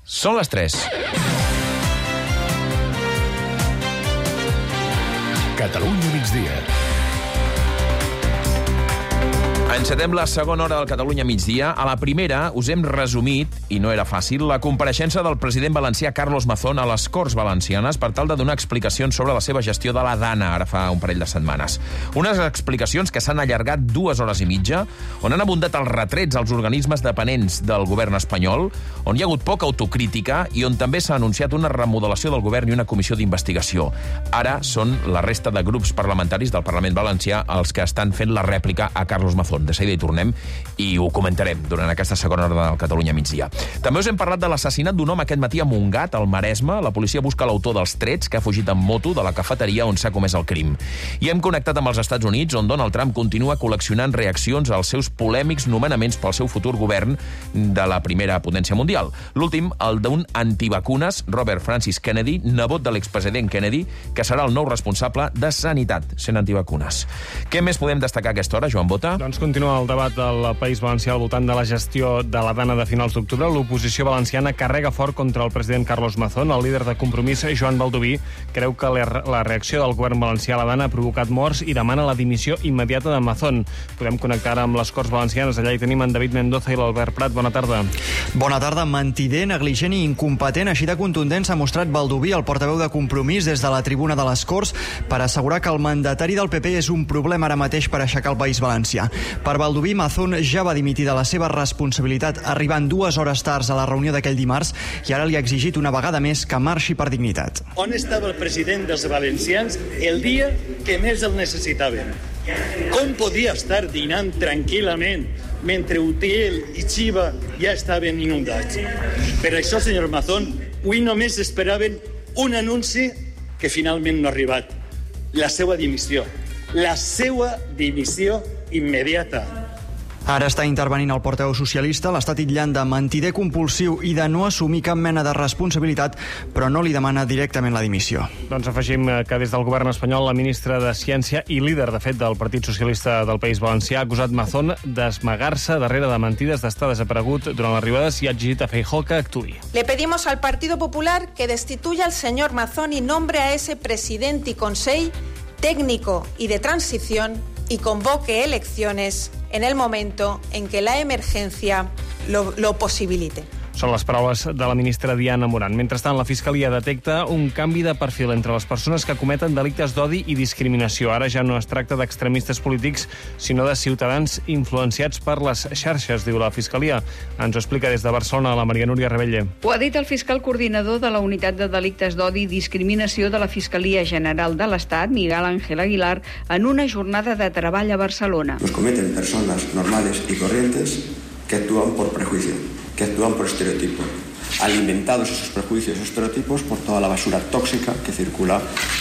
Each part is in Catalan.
Són les 3. Catalunya migdia. Encetem la segona hora del Catalunya migdia. A la primera us hem resumit, i no era fàcil, la compareixença del president valencià Carlos Mazón a les Corts Valencianes per tal de donar explicacions sobre la seva gestió de la Dana, ara fa un parell de setmanes. Unes explicacions que s'han allargat 2 hores i mitja, on han abundat els retrets als organismes dependents del govern espanyol, on hi ha hagut poca autocrítica i on també s'ha anunciat una remodelació del govern i una comissió d'investigació. Ara són la resta de grups parlamentaris del Parlament Valencià els que estan fent la rèplica a Carlos Mazón. De seguida hi tornem i ho comentarem durant aquesta segona hora del Catalunya migdia. També us hem parlat de l'assassinat d'un home aquest matí a Montgat, al Maresme. La policia busca l'autor dels trets, que ha fugit en moto de la cafeteria on s'ha comès el crim. I hem connectat amb els Estats Units, on Donald Trump continua col·leccionant reaccions als seus polèmics nomenaments pel seu futur govern de la primera potència mundial. L'últim, el d'un antivacunes, Robert Francis Kennedy, nebot de l'expresident Kennedy, que serà el nou responsable de Sanitat, sent antivacunes. Què més podem destacar a aquesta hora, Joan Bota? Doncs continua el debat del País Valencià al voltant de la gestió de la Dana de finals d'octubre. L'oposició valenciana carrega fort contra el president Carlos Mazón. El líder de Compromís, Joan Baldoví, creu que la reacció del govern valencià a la Dana ha provocat morts i demana la dimissió immediata de Mazón. Podem connectar amb les Corts Valencianes. Allà hi tenim en David Mendoza i l'Albert Prat. Bona tarda. Bona tarda. Mentider, negligent i incompetent. Així de contundent s'ha mostrat Baldoví, el portaveu de Compromís, des de la tribuna de les Corts, per assegurar que el mandatari del PP és un problema ara mateix per aixecar el País Valencià. Per Baldoví, Mazón ja va dimitir de la seva responsabilitat arribant 2 hores tard a la reunió d'aquell dimarts i ara li ha exigit una vegada més que marxi per dignitat. On estava el president dels valencians el dia que més el necessitaven? Com podia estar dinant tranquil·lament mentre Utiel i Chiva ja estaven inundats? Per això, senyor Mazón, avui només esperaven un anunci que finalment no ha arribat. La seva dimissió. La seva dimissió immediata. Ara està intervenint el portaveu socialista, l'està titllant de mentider compulsiu i de no assumir cap mena de responsabilitat, però no li demana directament la dimissió. Doncs afegim que des del govern espanyol la ministra de Ciència i líder, de fet, del Partit Socialista del País Valencià ha acusat Mazón d'esmagar-se darrere de mentides, d'estar desaparegut durant les arribades i ha exigit a Feijóo que actuï. Le pedimos al Partido Popular que destituya al señor Mazón y nombre a ese presidente y consell técnico y de transición y convoque elecciones en el momento en que la emergencia lo posibilite. Són les paraules de la ministra Diana Morant. Mentrestant, la Fiscalia detecta un canvi de perfil entre les persones que cometen delictes d'odi i discriminació. Ara ja no es tracta d'extremistes polítics, sinó de ciutadans influenciats per les xarxes, diu la Fiscalia. Ens ho explica des de Barcelona la Maria Núria Rebelle. Ho ha dit el fiscal coordinador de la Unitat de Delictes d'Odi i Discriminació de la Fiscalia General de l'Estat, Miguel Ángel Aguilar, en una jornada de treball a Barcelona. Los cometen personas normales y corrientes que actúan por prejuicio, que actúan por estereotipo, alimentados esos prejuicios y estereotipos por toda la basura tóxica que circula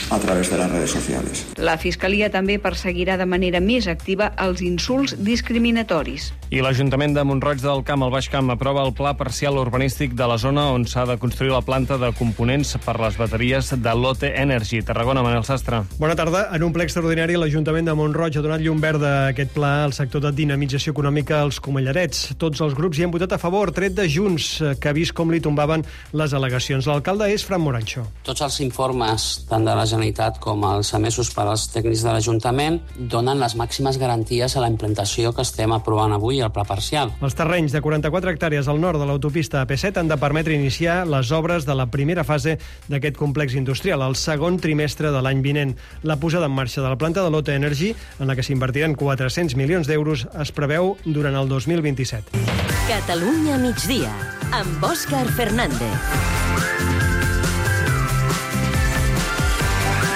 a través de las redes sociales. La Fiscalia també perseguirà de manera més activa els insults discriminatoris. I l'Ajuntament de Mont-roig del Camp, al Baix Camp, aprova el pla parcial urbanístic de la zona on s'ha de construir la planta de components per les bateries de Lotte Energy. Tarragona, Manel Sastre. Bona tarda. En un ple extraordinari, l'Ajuntament de Mont-roig ha donat llum verda a aquest pla al sector de dinamització econòmica als Comellarets. Tots els grups hi han votat a favor, tret de Junts, que ha vist com li tombaven les al·legacions. L'alcalde és Fran Morancho. Tots els informes, tant de la Generalitat com els emesos per als tècnics de l'Ajuntament, donen les màximes garanties a la implantació que estem aprovant avui al pla parcial. Els terrenys de 44 hectàrees al nord de l'autopista AP7 han de permetre iniciar les obres de la primera fase d'aquest complex industrial, el segon trimestre de l'any vinent. La posada en marxa de la planta de Lotte Energy, en la que s'invertiran 400 milions d'euros, es preveu durant el 2027. Catalunya migdia, amb Òscar Fernández.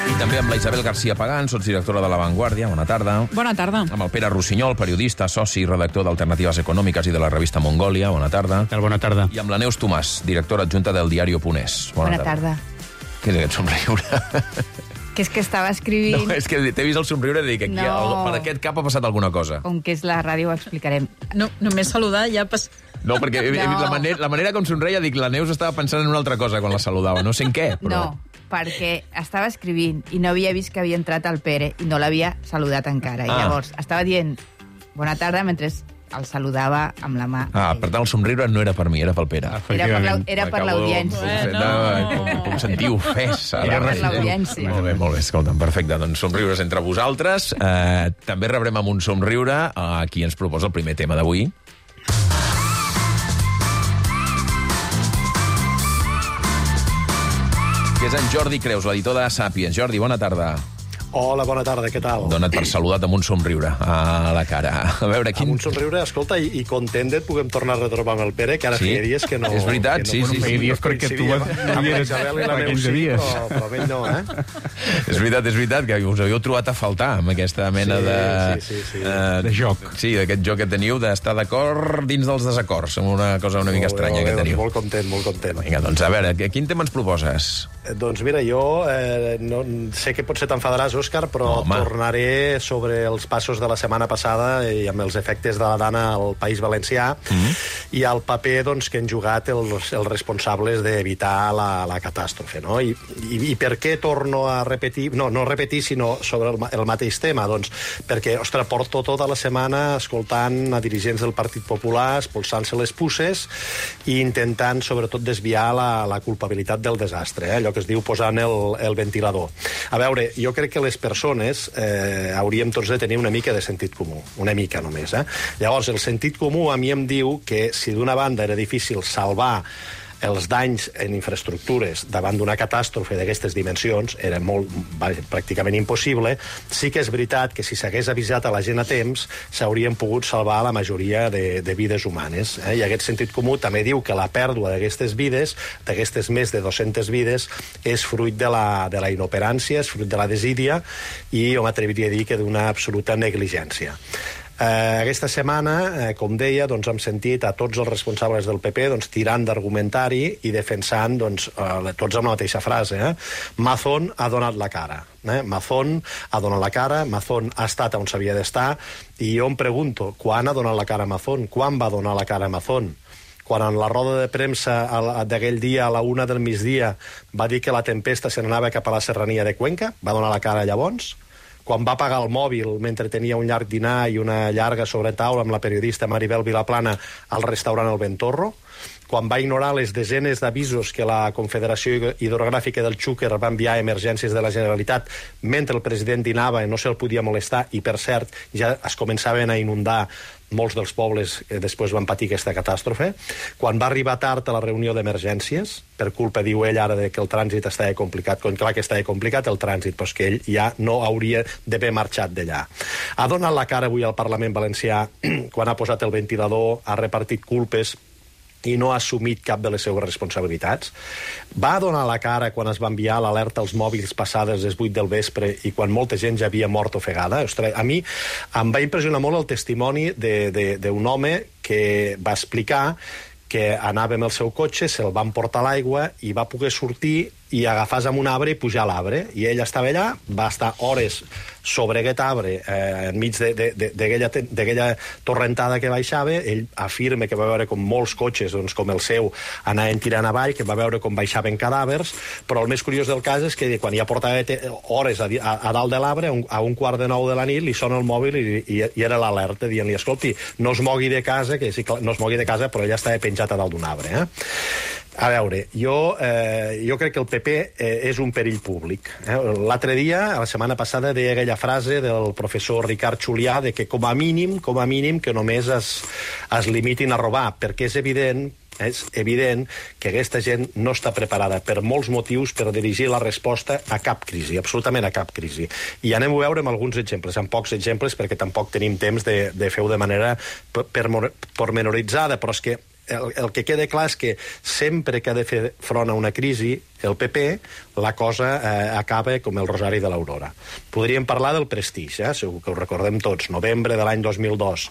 I també amb la Isabel García Pagán, sotsdirectora de La Vanguardia. Bona tarda. Bona tarda. Amb el Pere Rossinyol, periodista, soci i redactor d'Alternatives Econòmiques i de la revista Mongòlia. Bona tarda. Bona tarda. I amb la Neus Tomàs, directora adjunta del diario Punès. Bona tarda. Què és aquest somriure? Que és que estava escrivint... No, és que t'he vist el somriure i dic, aquí, per aquest cap ha passat alguna cosa. Com que és la ràdio, ho explicarem. No, només saludar ja... No, perquè he vist la manera com somreia, dic, la Neus estava pensant en una altra cosa quan la saludava. No sé en què, però... No, perquè estava escrivint i no havia vist que havia entrat el Pere i no l'havia saludat encara. I llavors estava dient bona tarda mentre el saludava amb la mà. Per tant, el somriure no era per mi, era pel Pere. Era per l'audiència. Com sentir ofès. Era per l'audiència. Molt bé, escolta'm, perfecte. Doncs somriures entre vosaltres. També rebrem amb un somriure a qui ens proposa el primer tema d'avui. Que és en Jordi Creus, l'editor de Sàpiens. Jordi, bona tarda. Hola, bona tarda, què tal? Dona't per saludat amb un somriure a la cara. A veure, Amb un somriure, escolta, i content et puguem tornar a retrobar amb el Pere, que ara feia dies que no... És veritat, sí. Feia dies perquè tu eres aquells dies. Però ell no, És veritat, que us havíeu trobat a faltar amb aquesta mena de joc. Sí, d'aquest joc que teniu d'estar d'acord dins dels desacords, amb una cosa una mica estranya que teniu. Molt content. Vinga, doncs a veure, quin tema ens proposes? Doncs mira, jo no sé que potser t'enfadaràs, Òscar, però tornaré sobre els passos de la setmana passada i amb els efectes de la Dana al País Valencià i el paper que han jugat els responsables d'evitar la catàstrofe, no? I per què torno a repetir, no repetir, sinó sobre el mateix tema? Doncs perquè, ostres, porto tota la setmana escoltant a dirigents del Partit Popular expulsant-se les puces i intentant, sobretot, desviar la culpabilitat del desastre, allò que es diu posant el ventilador. A veure, jo crec que les persones hauríem tots de tenir una mica de sentit comú, una mica només. Llavors, el sentit comú a mi em diu que si d'una banda era difícil salvar els danys en infraestructures davant d'una catàstrofe d'aquestes dimensions, era pràcticament impossible, sí que és veritat que si s'hagués avisat a la gent a temps s'haurien pogut salvar la majoria de vides humanes. I aquest sentit comú també diu que la pèrdua d'aquestes vides, d'aquestes més de 200 vides, és fruit de la inoperància, és fruit de la desídia i jo m'atreviria a dir que d'una absoluta negligència. Aquesta setmana, com deia, hem sentit a tots els responsables del PP tirant d'argumentari i defensant tots amb la mateixa frase. Mazón ha donat la cara. Mazón ha donat la cara, Mazón ha estat on s'havia d'estar, i jo em pregunto, quan ha donat la cara Mazón? Quan va donar la cara Mazón? Quan en la roda de premsa d'aquell dia a la 1 del migdia va dir que la tempesta se n'anava cap a la serrania de Cuenca? Va donar la cara llavors? Quan va apagar el mòbil mentre tenia un llarg dinar i una llarga sobretaula amb la periodista Maribel Vilaplana al restaurant El Ventorro? Quan va ignorar les desenes d'avisos que la Confederació Hidrogràfica del Xúquer va enviar a emergències de la Generalitat mentre el president dinava i no se'l podia molestar, i per cert ja es començaven a inundar molts dels pobles que després van patir aquesta catàstrofe, quan va arribar tard a la reunió d'emergències, per culpa, diu ell ara, que el trànsit estava complicat, clar que estava complicat el trànsit, però és que ell ja no hauria d'haver marxat d'allà. Ha donat la cara avui al Parlament Valencià quan ha posat el ventilador, ha repartit culpes i no ha assumit cap de les seves responsabilitats. Va donar la cara quan es va enviar l'alerta als mòbils passades les 8 del vespre i quan molta gent ja havia mort ofegada. Ostres, a mi em va impressionar molt el testimoni d'un home que va explicar que anava amb el seu cotxe, se'l van portar a l'aigua i va poder sortir i agafar-se amb un arbre i pujar a l'arbre. I ell estava allà, va estar hores sobre aquest arbre, enmig d'aquella torrentada que baixava. Ell afirma que va veure com molts cotxes, com el seu, anaven tirant avall, que va veure com baixaven cadàvers, però el més curiós del cas és que quan ja portava hores a dalt de l'arbre, a 8:45 de la nit, li sona el mòbil i era l'alerta, dient-li, escolti, no es mogui de casa, que sí, no es mogui de casa, però ella estava penjat a dalt d'un arbre. A veure, jo crec que el PP és un perill públic. L'altre dia, la setmana passada, deia aquella frase del professor Ricard Julià de que com a mínim, que només es limitin a robar, perquè és evident que aquesta gent no està preparada per molts motius per dirigir la resposta a cap crisi, absolutament a cap crisi. I anem a veure amb alguns exemples, amb pocs exemples, perquè tampoc tenim temps de fer-ho de manera pormenoritzada, però és que el que queda clar és que sempre que ha de fer front a una crisi, el PP, la cosa acaba com el Rosari de l'Aurora. Podríem parlar del Prestige, segur que ho recordem tots, novembre de l'any 2002.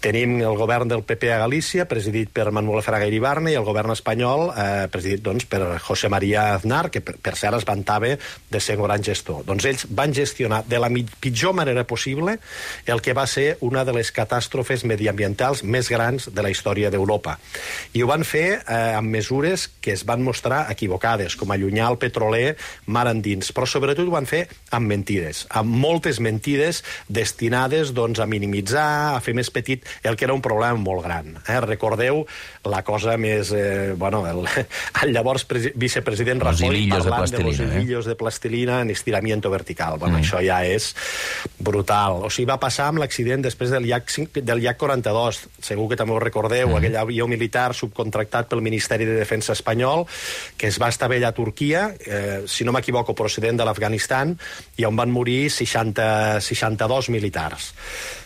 Tenim el govern del PP a Galícia, presidit per Manuel Fraga Iribarne, i el govern espanyol, presidit per José María Aznar, que per cert es vantava de ser un gran gestor. Doncs ells van gestionar de la pitjor manera possible el que va ser una de les catàstrofes mediambientals més grans de la història d'Europa. I ho van fer amb mesures que es van mostrar equivocades. destinades, com allunyar el petroler mar endins, però sobretot ho van fer amb mentides, amb moltes mentides destinades doncs, a minimitzar, a fer més petit el que era un problema molt gran. Recordeu la cosa més... el llavors vicepresident Rajoy parlant de los hilillos de plastilina en estiramiento vertical. Això ja és brutal. O sigui, va passar amb l'accident després del Yak 42. Segur que també ho recordeu, aquell avió militar subcontractat pel Ministeri de Defensa espanyol que es va estavellar a Turquia, si no m'equivoco, procedent de l'Afganistan, i on van morir 62 militars.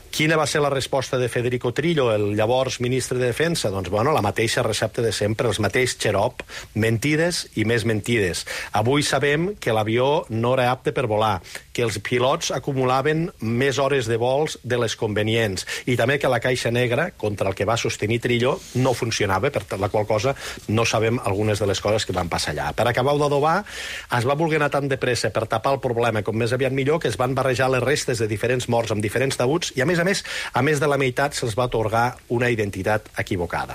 Quina va ser la resposta de Federico Trillo, el llavors ministre de Defensa? Doncs, la mateixa recepta de sempre, els mateix xarop, mentides i més mentides. Avui sabem que l'avió no era apte per volar, que els pilots acumulaven més hores de vols de les convenients, i també que la caixa negra, contra el que va sostenir Trillo, no funcionava, per la qual cosa no sabem algunes de les coses que van passar allà. Per acabar d'adobar, es va voler anar tan de pressa per tapar el problema com més aviat millor, que es van barrejar les restes de diferents morts amb diferents taüts, i a més de la meitat se'ls va atorgar una identitat equivocada.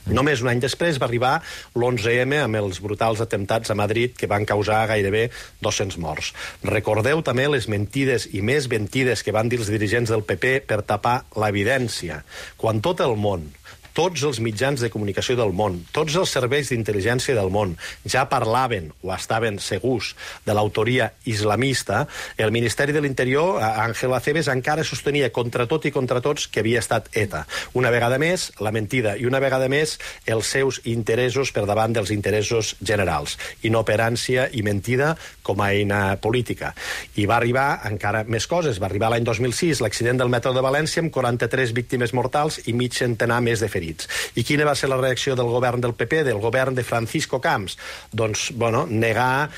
Només un any després va arribar l'11M amb els brutals atemptats a Madrid que van causar gairebé 200 morts. Recordeu també les mentides i més mentides que van dir els dirigents del PP per tapar l'evidència. Quan tot el món, tots els mitjans de comunicació del món, tots els serveis d'intel·ligència del món ja parlaven o estaven segurs de l'autoria islamista, el Ministeri de l'Interior, Ángel Acebes, encara sostenia contra tot i contra tots que havia estat ETA. Una vegada més, la mentida, i una vegada més, els seus interessos per davant dels interessos generals. Inoperància i mentida com a eina política. I va arribar encara més coses. Va arribar l'any 2006 l'accident del metro de València amb 43 víctimes mortals i mig centenar més de ferits. I quina va ser la reacció del govern del PP, del govern de Francisco Camps? Doncs, negar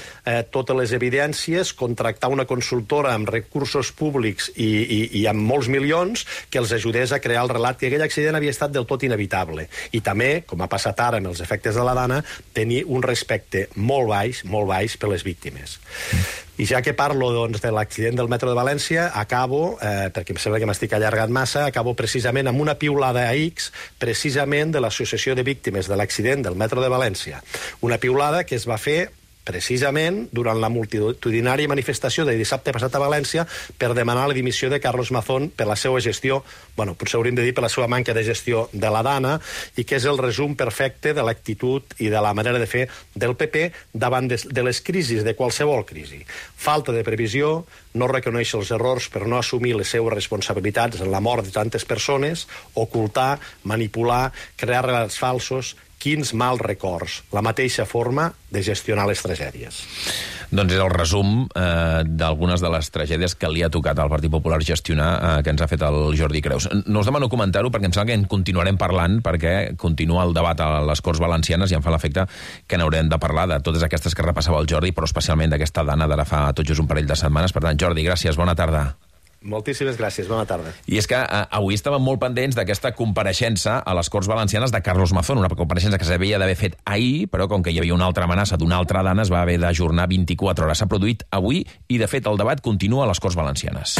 totes les evidències, contractar una consultora amb recursos públics i amb molts milions que els ajudés a crear el relat que aquell accident havia estat del tot inevitable. I també, com ha passat ara amb els efectes de la Dana, tenir un respecte molt baix per les víctimes. I ja que parlo de l'accident del metro de València, acabo, perquè em sembla que m'estic allargant massa, acabo precisament amb una piulada a X, precisament de l'Associació de Víctimes de l'Accident del metro de València. Una piulada que es va fer precisament durant la multitudinària manifestació de dissabte passat a València per demanar la dimissió de Carlos Mazón per la seva gestió, potser hauríem de dir per la seva manca de gestió de la Dana, i que és el resum perfecte de l'actitud i de la manera de fer del PP davant de les crisis, de qualsevol crisi. Falta de previsió, no reconèixer els errors per no assumir les seues responsabilitats en la mort de tantes persones, ocultar, manipular, crear relats falsos. Quins mals records, la mateixa forma de gestionar les tragèdies. Doncs és el resum d'algunes de les tragèdies que li ha tocat al Partit Popular gestionar, que ens ha fet el Jordi Creus. No us demano comentar-ho perquè em sembla que en continuarem parlant, perquè continua el debat a les Corts Valencianes i em fa l'efecte que n'haurem de parlar de totes aquestes que repassava el Jordi, però especialment d'aquesta Dana d'ara fa tot just un parell de setmanes. Per tant, Jordi, gràcies, bona tarda. Moltíssimes gràcies, bona tarda. I és que avui estàvem molt pendents d'aquesta compareixença a les Corts Valencianes de Carlos Mazón, una compareixença que s'havia d'haver fet ahir, però com que hi havia una altra amenaça d'una altra Dana, es va haver d'ajornar 24 hores. S'ha produït avui i, de fet, el debat continua a les Corts Valencianes.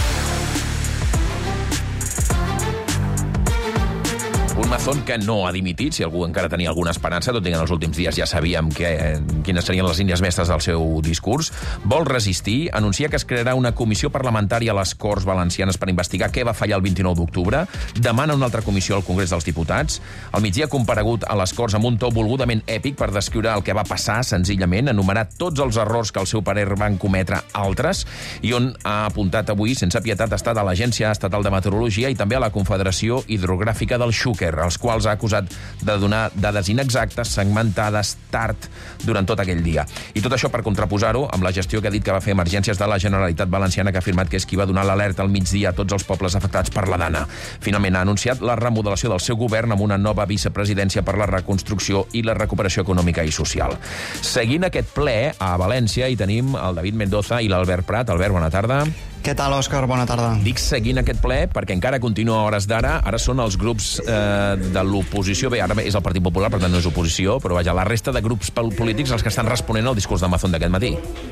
Un Mazón que no ha dimitit, si algú encara tenia alguna esperança, tot i que en els últims dies ja sabíem quines serien les línies mestres del seu discurs. Vol resistir, anuncia que es crearà una comissió parlamentària a les Corts Valencianes per investigar què va fallar el 29 d'octubre, demana una altra comissió al Congrés dels Diputats. Al migdia ha comparegut a les Corts amb un to volgudament èpic per descriure el que va passar, senzillament, enumerar tots els errors que al seu parer van cometre altres, i on ha apuntat avui, sense pietat, ha estat a l'Agència Estatal de Meteorologia i també a la Confederació Hidrogràfica del Xúquer, els quals ha acusat de donar dades inexactes, segmentades, tard, durant tot aquell dia. I tot això per contraposar-ho amb la gestió que ha dit que va fer Emergències de la Generalitat Valenciana, que ha afirmat que és qui va donar l'alerta al migdia a tots els pobles afectats per la Dana. Finalment ha anunciat la remodelació del seu govern amb una nova vicepresidència per la reconstrucció i la recuperació econòmica i social. Seguint aquest ple, a València hi tenim el David Mendoza i l'Albert Prat. Albert, bona tarda. Què tal, Òscar? Bona tarda. Dic seguint aquest ple perquè encara continua a hores d'ara. Ara són els grups de l'oposició. Bé, ara és el Partit Popular, per tant no és oposició, però vaja, la resta de grups polítics els que estan responent al discurs de Mazón d'aquest matí.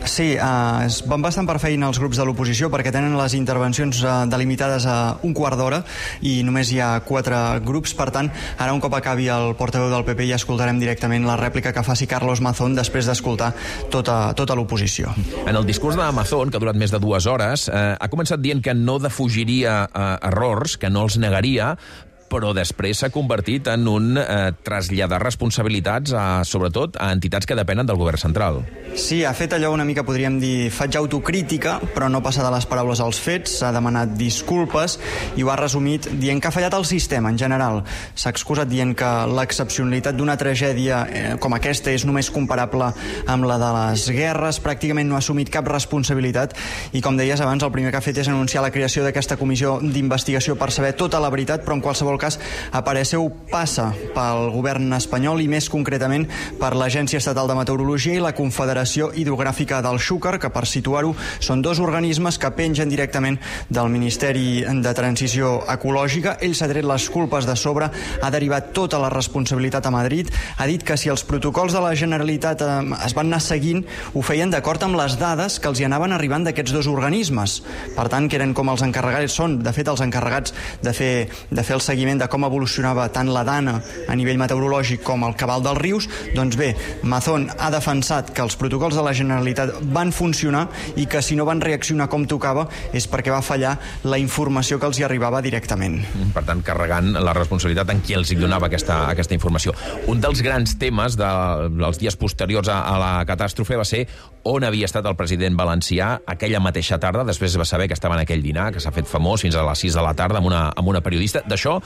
Sí, van bastant per feina els grups de l'oposició perquè tenen les intervencions delimitades a un quart d'hora i només hi ha 4 grups. Per tant, ara un cop acabi el portaveu del PP ja escoltarem directament la rèplica que faci Carlos Mazón després d'escoltar tota l'oposició. En el discurs de Mazón, que ha durat més de 2 hores, ha començat dient que no defugiria errors, que no els negaria, però després s'ha convertit en un traslladar responsabilitats, sobretot a entitats que depenen del govern central. Sí, ha fet allò una mica, podríem dir, faig autocrítica, però no passa de les paraules als fets, s'ha demanat disculpes i ho ha resumit dient que ha fallat el sistema en general. S'ha excusat dient que l'excepcionalitat d'una tragèdia com aquesta és només comparable amb la de les guerres, pràcticament no ha assumit cap responsabilitat i, com deies abans, el primer que ha fet és anunciar la creació d'aquesta comissió d'investigació per saber tota la veritat, però en qualsevol cas Apareceu passa pel govern espanyol i més concretament per l'Agència Estatal de Meteorologia i la Confederació Hidrogràfica del Xúquer, que per situar-ho són 2 organismes que pengen directament del Ministeri de Transició Ecològica. Ell s'ha tret les culpes de sobre, ha derivat tota la responsabilitat a Madrid, ha dit que si els protocols de la Generalitat es van anar seguint, ho feien d'acord amb les dades que els hi anaven arribant d'aquests 2 organismes. Per tant, que eren com els encarregats, són de fet els encarregats de fer el seguiment de com evolucionava tant la dana a nivell meteorològic com el cabal dels rius. Doncs bé, Mazón ha defensat que els protocols de la Generalitat van funcionar i que si no van reaccionar com tocava és perquè va fallar la informació que els hi arribava directament. Per tant, carregant la responsabilitat en qui els hi donava aquesta informació. Un dels grans temes dels dies posteriors a la catàstrofe va ser on havia estat el president valencià aquella mateixa tarda. Després va saber que estava en aquell dinar, que s'ha fet famós fins a les 6 de la tarda amb una periodista. D'això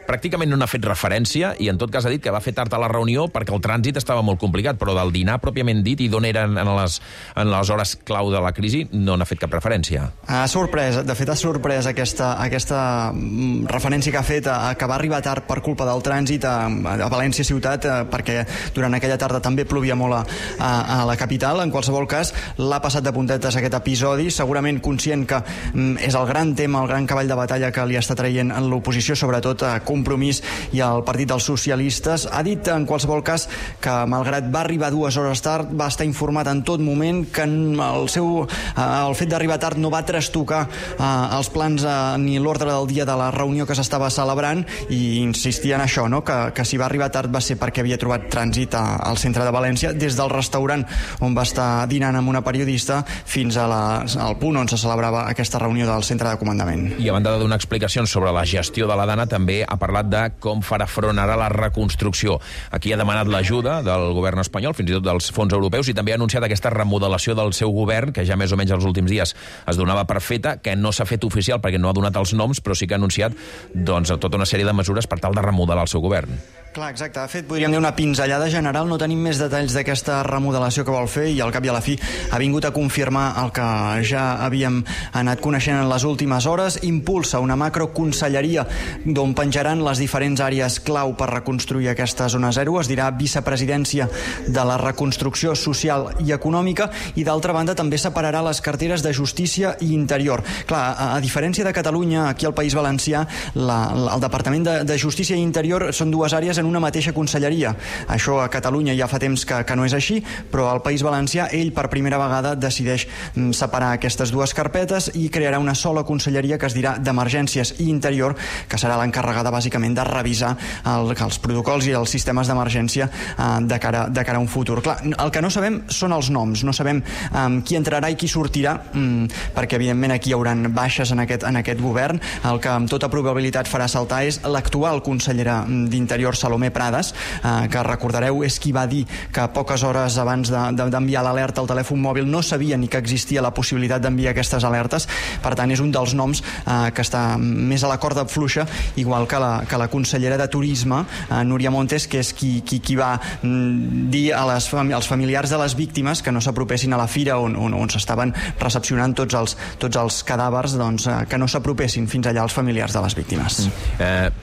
pràcticament no n'ha fet referència i en tot cas ha dit que va fer tard a la reunió perquè el trànsit estava molt complicat, però del dinar pròpiament dit i d'on eren en les hores clau de la crisi no n'ha fet cap referència. Ha sorprès, de fet ha sorprès aquesta referència que ha fet que va arribar tard per culpa del trànsit a València ciutat, perquè durant aquella tarda també plovia molt a la capital. En qualsevol cas, l'ha passat de puntetes aquest episodi, segurament conscient que és el gran tema, el gran cavall de batalla que li està traient en l'oposició, sobretot a Compromís i al Partit dels Socialistes. Ha dit en qualsevol cas que malgrat va arribar 2 hores tard, va estar informat en tot moment, que el fet d'arribar tard no va trastocar els plans ni l'ordre del dia de la reunió que s'estava celebrant, i insistia en això, no? que si va arribar tard va ser perquè havia trobat trànsit al centre de València, des del restaurant on va estar dinant amb una periodista fins al punt on se celebrava aquesta reunió del centre de comandament. I a banda de donar explicacions sobre la gestió de la dana, també ha parlat de com farà front ara a la reconstrucció. Aquí ha demanat l'ajuda del govern espanyol, fins i tot dels fons europeus, i també ha anunciat aquesta remodelació del seu govern, que ja més o menys els últims dies es donava per feta, que no s'ha fet oficial perquè no ha donat els noms, però sí que ha anunciat tota una sèrie de mesures per tal de remodelar el seu govern. Clar, exacte. Ha fet, podríem dir, una pinzellada general. No tenim més detalls d'aquesta remodelació que vol fer i al cap i a la fi ha vingut a confirmar el que ja havíem anat coneixent en les últimes hores. Impulsa una macroconselleria d'on penjaran les diferents àrees clau per reconstruir aquesta zona zero. Es dirà vicepresidència de la reconstrucció social i econòmica, i d'altra banda també separarà les carteres de Justícia i Interior. Clar, a diferència de Catalunya, aquí al País Valencià, el Departament de Justícia i Interior són 2 àrees en una mateixa conselleria. Això a Catalunya ja fa temps que no és així, però al País Valencià ell per primera vegada decideix separar aquestes 2 carpetes i crearà una sola conselleria que es dirà d'Emergències i Interior, que serà l'encarregada bàsicament de revisar els protocols i els sistemes d'emergència de cara a un futur. Clar, el que no sabem són els noms, no sabem qui entrarà i qui sortirà, perquè evidentment aquí hi haurà baixes en aquest govern. El que amb tota probabilitat farà saltar és l'actual consellera d'Interior, Salomé Prades, que recordareu és qui va dir que poques hores abans d'enviar l'alerta al telèfon mòbil no sabia ni que existia la possibilitat d'enviar aquestes alertes. Per tant, és un dels noms que està més a la corda fluixa, igual igual que la consellera de Turisme, Núria Montes, que és qui va dir als familiars de les víctimes que no s'apropessin a la fira on s'estaven recepcionant tots els cadàvers, doncs, que no s'apropessin fins allà els familiars de les víctimes.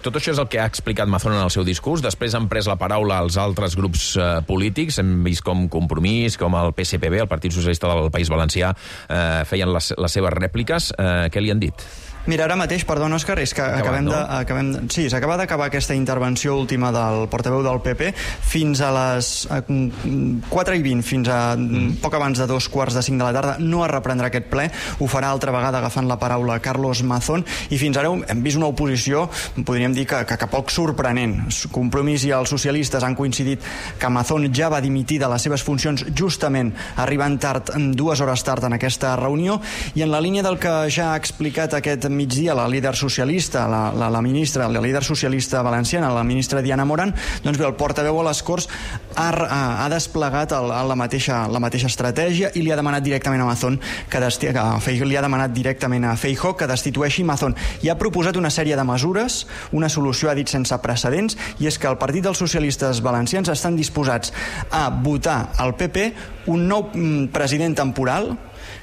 Tot això és el que ha explicat Mazón en el seu discurs. Després han pres la paraula els altres grups polítics. Hem vist com Compromís, com el PSPB, el Partit Socialista del País Valencià, feien les seves rèpliques. Què li han dit? Mira, ara mateix, perdona, Òscar, és que sí, s'acaba d'acabar aquesta intervenció última del portaveu del PP. Fins a les 4:20, fins a poc abans de 4:45 de la tarda, no es reprendrà aquest ple. Ho farà altra vegada agafant la paraula Carlos Mazón, i fins ara hem vist una oposició, podríem dir que poc sorprenent. Compromís i els socialistes han coincidit que Mazón ja va dimitir de les seves funcions justament arribant tard, 2 hores tard en aquesta reunió, i en la línia del que ja ha explicat aquest migdia la líder socialista, la líder socialista valenciana, la ministra Diana Morant, doncs bé, el portaveu a les Corts ha desplegat la mateixa estratègia i li ha demanat directament a Mazón li ha demanat directament a Feijóo que destitueixi Mazón, i ha proposat una sèrie de mesures, una solució, ha dit, sense precedents, i és que el Partit dels Socialistes Valencians estan disposats a votar al PP un nou president temporal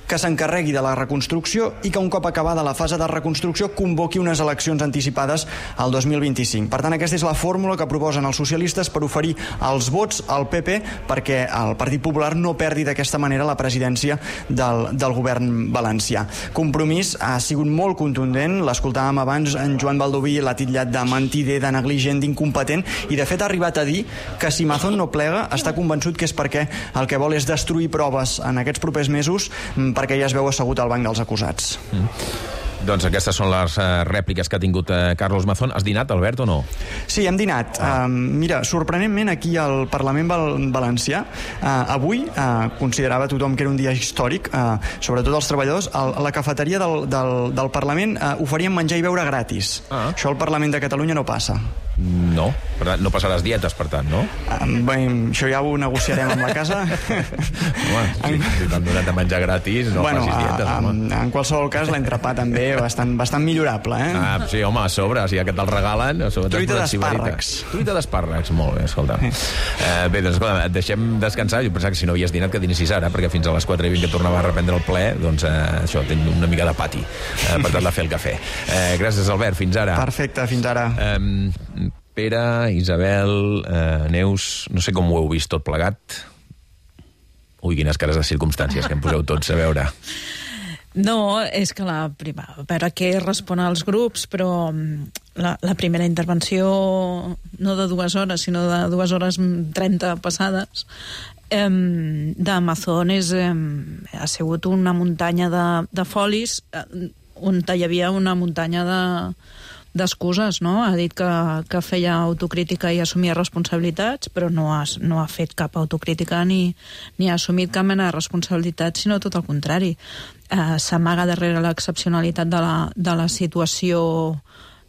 que s'encarregui de la reconstrucció i que un cop acabada la fase de reconstrucció convoqui unes eleccions anticipades al 2025. Per tant, aquesta és la fórmula que proposen els socialistes per oferir els vots al PP perquè el Partit Popular no perdi d'aquesta manera la presidència del govern valencià. Compromís ha sigut molt contundent, l'escoltàvem abans, en Joan Baldoví l'ha titllat de mentider, de negligent, d'incompetent, i de fet ha arribat a dir que si Mazón no plega està convençut que és perquè el que vol és destruir proves en aquests propers mesos perquè ja es veu assegut al banc dels acusats. Doncs aquestes són les rèpliques que ha tingut Carlos Mazón. Has dinat, Albert, o no? Sí, hem dinat. Mira, sorprenentment, aquí al Parlament Valencià, avui considerava tothom que era un dia històric, sobretot els treballadors. A la cafeteria del Parlament oferien menjar i beure gratis. Això al Parlament de Catalunya no passa. No, no passaràs dietes, per tant, no? Bé, això ja ho negociarem amb la casa. Home, si t'han donat a menjar gratis, no facis dietes, home. En qualsevol cas, l'entrepà també bastant millorable, Sí, home, a sobre, si ja que te'l regalen... Truita d'espàrrecs. Truita d'espàrrecs, molt bé, escolta. Bé, doncs, escolta, et deixem descansar. Jo pensava que si no havies dinat que dinessis ara, perquè fins a les 4:20 que tornava a reprendre el ple, doncs això, tinc una mica de pati per tal de fer el cafè. Gràcies, Albert, fins ara. Perfecte, fins ara. Pere, Isabel, Neus, no sé com ho heu vist tot plegat. Ui, quines cares de circumstàncies que em poseu tots, a veure. No, és que a veure què respon als grups, però la primera intervenció, no de 2 hores, sinó de 2 hores 30 passades, de Mazón ha sigut una muntanya de folis on hi havia una muntanya d'excuses, no? Ha dit que feia autocrítica i assumia responsabilitats, però no ha fet cap autocrítica ni ha assumit cap mena de responsabilitat, sinó tot el contrari. S'amaga darrere l'excepcionalitat de la situació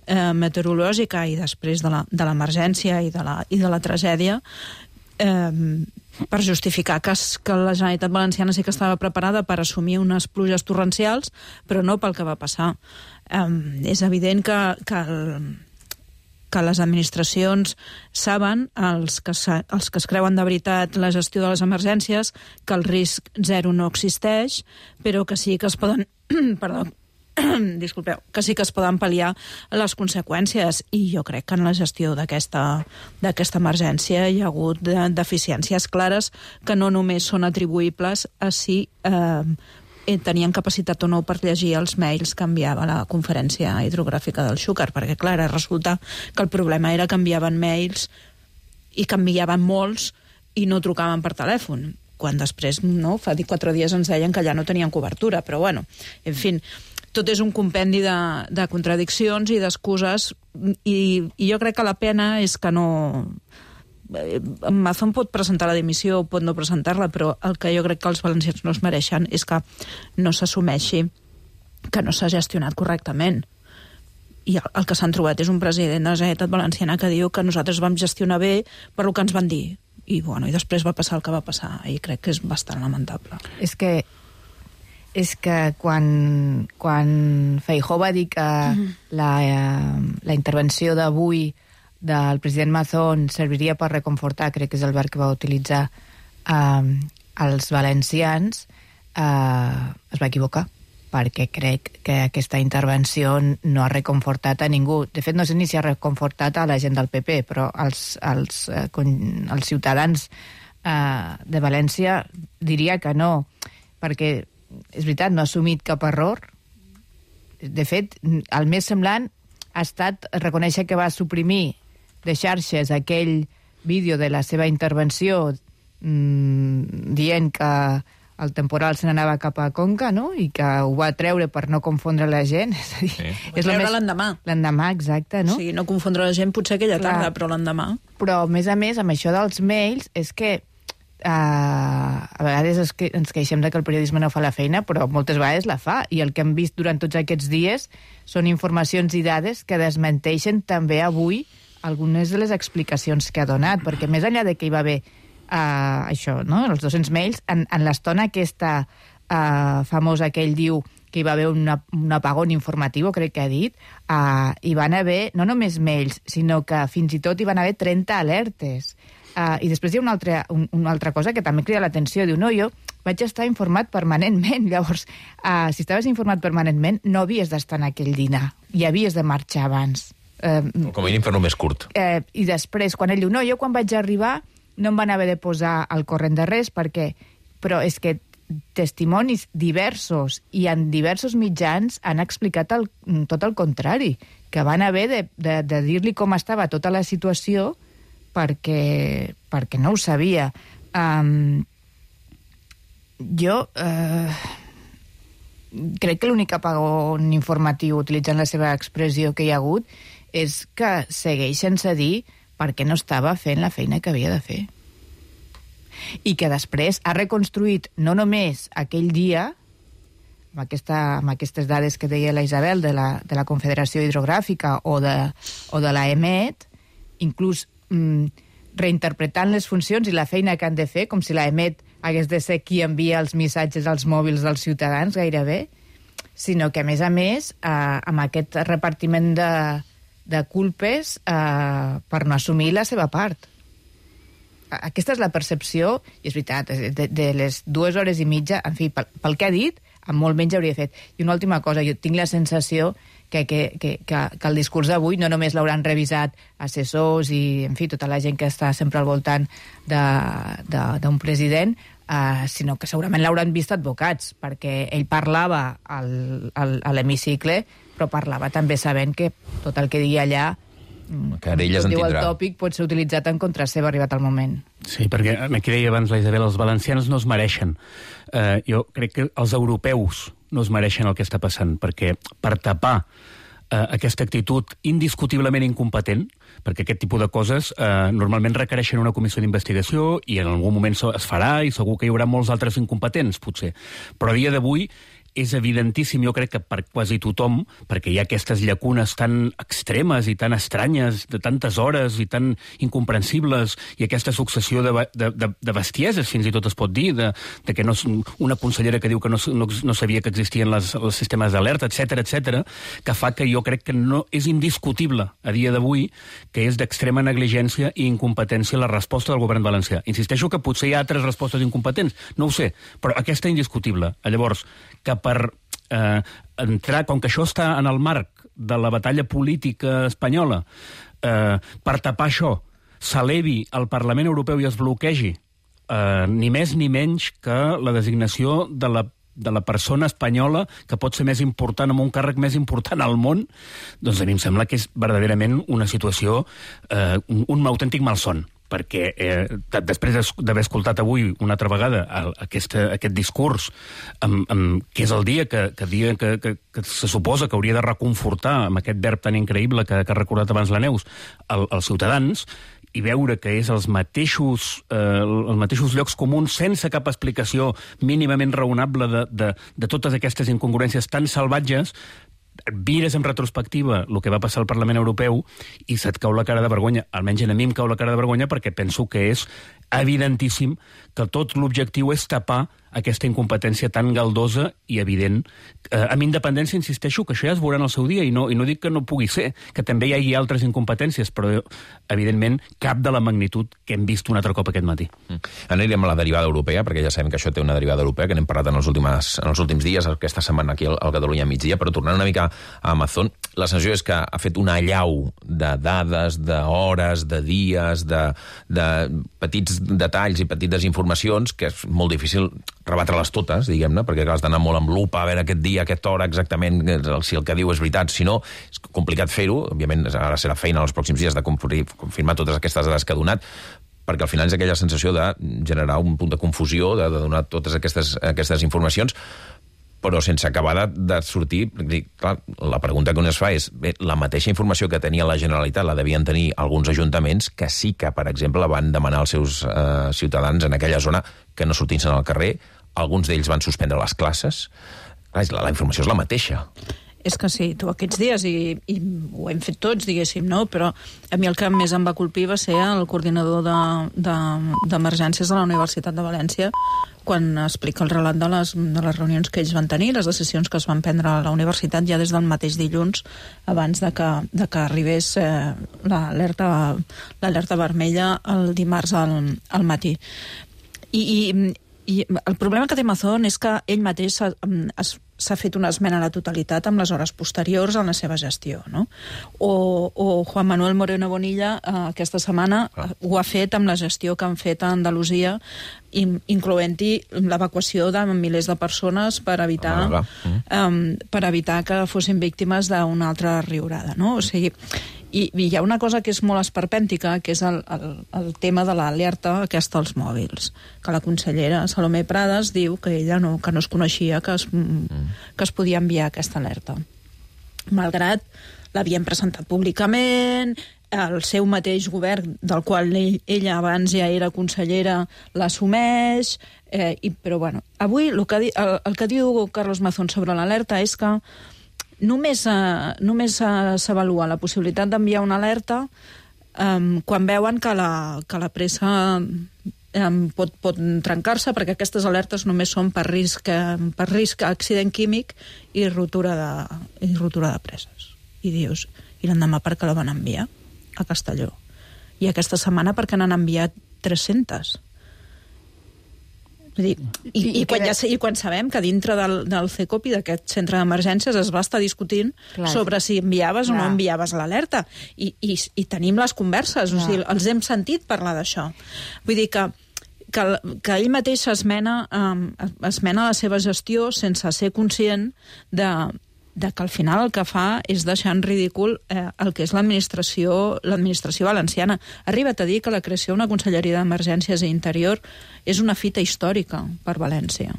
meteorològica i després de l'emergència i de la tragèdia per justificar que la Generalitat Valenciana sí que estava preparada per assumir unes pluges torrencials, però no pel que va passar. És evident que les administracions saben, els que es creuen de veritat la gestió de les emergències, que el risc zero no existeix, però que sí que es poden... disculpeu, que sí que es poden pal·liar les conseqüències, i jo crec que en la gestió d'aquesta emergència hi ha hagut deficiències clares que no només són atribuïbles a si tenien capacitat o no per llegir els mails que enviava la conferència hidrogràfica del Xúquer, perquè clar, resulta que el problema era que enviaven mails i que enviaven molts i no trucaven per telèfon, quan després, no, fa 4 dies ens deien que allà no tenien cobertura, però bueno, en fi, tot és un compendi de contradiccions i d'excuses, i jo crec que la pena és que no... Mazón pot presentar la dimissió o pot no presentar-la, però el que jo crec que els valencians no es mereixen és que no s'assumeixi que no s'ha gestionat correctament. I el que s'han trobat és un president de la Generalitat Valenciana que diu que nosaltres vam gestionar bé per el que ens van dir. I després va passar el que va passar, i crec que és bastant lamentable. És que és que quan Feijóo va dir que la intervenció d'avui del president Mazón serviria per reconfortar, crec que és el verb que va utilitzar, els valencians, es va equivocar, perquè crec que aquesta intervenció no ha reconfortat a ningú. De fet, no sé ni si ha reconfortat a la gent del PP, però els ciutadans de València diria que no, perquè és veritat, no ha assumit cap error. De fet, el més semblant ha estat reconèixer que va suprimir de xarxes aquell vídeo de la seva intervenció dient que el temporal se n'anava cap a Conca, no? I que ho va treure per no confondre la gent. És a dir, és l'endemà. L'endemà, exacte, no? Sí, no confondre la gent potser aquella tarda, però l'endemà. Però, a més, amb això dels mails, és que a vegades ens queixem de que el periodisme no fa la feina, però moltes vegades la fa, i el que hem vist durant tots aquests dies són informacions i dades que desmenteixen també avui algunes de les explicacions que ha donat, perquè més enllà de que hi va haver això, no? Els 200 mails, en l'estona aquesta famosa que ell diu que hi va haver un apagón informatiu, crec que ha dit, hi van haver no només mails, sinó que fins i tot hi van haver 30 alertes. I després hi ha una altra cosa que també crida l'atenció. Diu, no, jo vaig estar informat permanentment. Llavors, si estaves informat permanentment, no havies d'estar en aquell dinar i havies de marxar abans. Com a mínim fer-lo més curt. I després, quan ell diu, no, jo quan vaig arribar no em van haver de posar al corrent de res, però és que testimonis diversos i en diversos mitjans han explicat tot el contrari, que van haver de dir-li com estava tota la situació perquè no ho sabia. Jo crec que l'únic apagón informatiu, utilitzant la seva expressió que hi ha hagut, és que segueix sense dir per què no estava fent la feina que havia de fer. I que després ha reconstruït no només aquell dia, amb aquestes dades que deia la Isabel de la Confederació Hidrogràfica o de la EMET, inclús reinterpretant les funcions i la feina que han de fer, com si la EMET hagués de ser qui envia els missatges als mòbils dels ciutadans, gairebé, sinó que, a més, amb aquest repartiment de culpes per no assumir la seva part. Aquesta és la percepció, i és veritat, de les 2 hores i mitja, en fi, pel que ha dit, amb molt menys hauria fet. I una última cosa, jo tinc la sensació que el discurs d'avui no només l'hauran revisat assessors i, en fi, tota la gent que està sempre al voltant d'un president, sinó que segurament l'hauran vist advocats, perquè ell parlava a l'hemicicle, però parlava també sabent que tot el que digui allà, que elles en diu el tindrà. tòpic, pot ser utilitzat en contra seva arribat el moment. Sí, perquè aquí deia abans la Isabel, els valencians no es mereixen. Jo crec que els europeus no es mereixen el que està passant, perquè per tapar aquesta actitud indiscutiblement incompetent, perquè aquest tipus de coses normalment requereixen una comissió d'investigació i en algun moment es farà i segur que hi haurà molts altres incompetents, potser. Però a dia d'avui és evidentíssim, jo crec que per quasi tothom, perquè hi ha aquestes llacunes tan extremes i tan estranyes, de tantes hores i tan incomprensibles, i aquesta successió de bestieses, fins i tot es pot dir, de que no, una consellera que diu que no sabia que existien els sistemes d'alerta, etc, que fa que jo crec que no és indiscutible a dia d'avui que és d'extrema negligència i incompetència la resposta del govern valencià. Insisteixo que potser hi ha altres respostes incompetents, no ho sé, però aquesta indiscutible. Llavors, que per entrar, com que això està en el marc de la batalla política espanyola, per tapar això, s'elevi al Parlament Europeu i es bloquegi ni més ni menys que la designació de la persona espanyola que pot ser més important, amb un càrrec més important al món, doncs a mi em sembla que és verdaderament una situació, un autèntic malson, perquè després d'haver escoltat avui una altra vegada aquest discurs, que és el dia que se suposa que hauria de reconfortar amb aquest verb tan increïble que ha recordat abans la Neus, els ciutadans, i veure que és els mateixos llocs comuns sense cap explicació mínimament raonable de totes aquestes incongruències tan salvatges, mires en retrospectiva el que va passar al Parlament Europeu i se't cau la cara de vergonya. Almenys a mi em cau la cara de vergonya perquè penso que és evidentíssim que tot l'objectiu és tapar aquesta incompetència tan galdosa i evident. Amb independència, insisteixo, que això ja es veurà en el seu dia, i no dic que no pugui ser, que també hi hagi altres incompetències, però, evidentment, cap de la magnitud que hem vist un altre cop aquest matí. Anirem a la derivada europea, perquè ja sabem que això té una derivada europea, que n'hem parlat en els últims dies, aquesta setmana aquí al Catalunya migdia, però tornant una mica a Amazon, la sensació és que ha fet una allau de dades, d'hores, de dies, de petits detalls i petites informacions, que és molt difícil rebatre-les totes, diguem-ne, perquè has d'anar molt amb lupa a veure aquest dia, aquesta hora exactament, si el que diu és veritat, si no, és complicat fer-ho, òbviament ara serà feina els pròxims dies de confirmar totes aquestes dades que ha donat, perquè al final és aquella sensació de generar un punt de confusió, de donar totes aquestes informacions, però sense acabar de sortir. Clar, la pregunta que un es fa és, bé, la mateixa informació que tenia la Generalitat la devien tenir alguns ajuntaments que sí que, per exemple, van demanar als seus ciutadans en aquella zona que no sortissin al carrer. Alguns d'ells van suspendre les classes. Clar, la informació és la mateixa. És que sí, tu aquests dies, i ho hem fet tots, diguéssim, no? Però a mi el que més em va colpir va ser el coordinador d'emergències de la Universitat de València, quan explica el relat de les reunions que ells van tenir, les decisions que es van prendre a la universitat ja des del mateix dilluns, abans de que arribés l'alerta vermella el dimarts al matí. I el problema que té Amazon és que ell mateix s'ha fet una esmena a la totalitat amb les hores posteriors en la seva gestió, no? O Juan Manuel Moreno Bonilla aquesta setmana ho ha fet amb la gestió que han fet a Andalusia, incloent-hi l'evacuació de milers de persones per evitar que fossin víctimes d'una altra riurada, no? O sigui, i hi ha una cosa que és molt esperpèntica, que és el tema de l'alerta aquesta als mòbils, que la consellera Salomé Prades diu que ella no es coneixia que es podia enviar aquesta alerta. Malgrat l'havien presentat públicament, el seu mateix govern, del qual ella abans ja era consellera, l'assumeix, però bueno, avui el que diu Carlos Mazón sobre l'alerta és que només s'avalua la possibilitat d'enviar una alerta quan veuen que la pressa pot trencar-se, perquè aquestes alertes només són per risc accident químic i rotura de preses. I dius, i l'endemà per què la van enviar a Castelló? I aquesta setmana per què n'han enviat 300? I quan sabem que dintre del CECOP i d'aquest centre d'emergències es va estar discutint sobre si enviaves o no enviaves l'alerta. I tenim les converses, o sigui, els hem sentit parlar d'això. Vull dir que ell mateix esmena la seva gestió sense ser conscient de que al final el que fa és deixar en ridícul el que és l'administració valenciana. Arriba't a dir que la creació d'una conselleria d'Emergències i Interior és una fita històrica per València.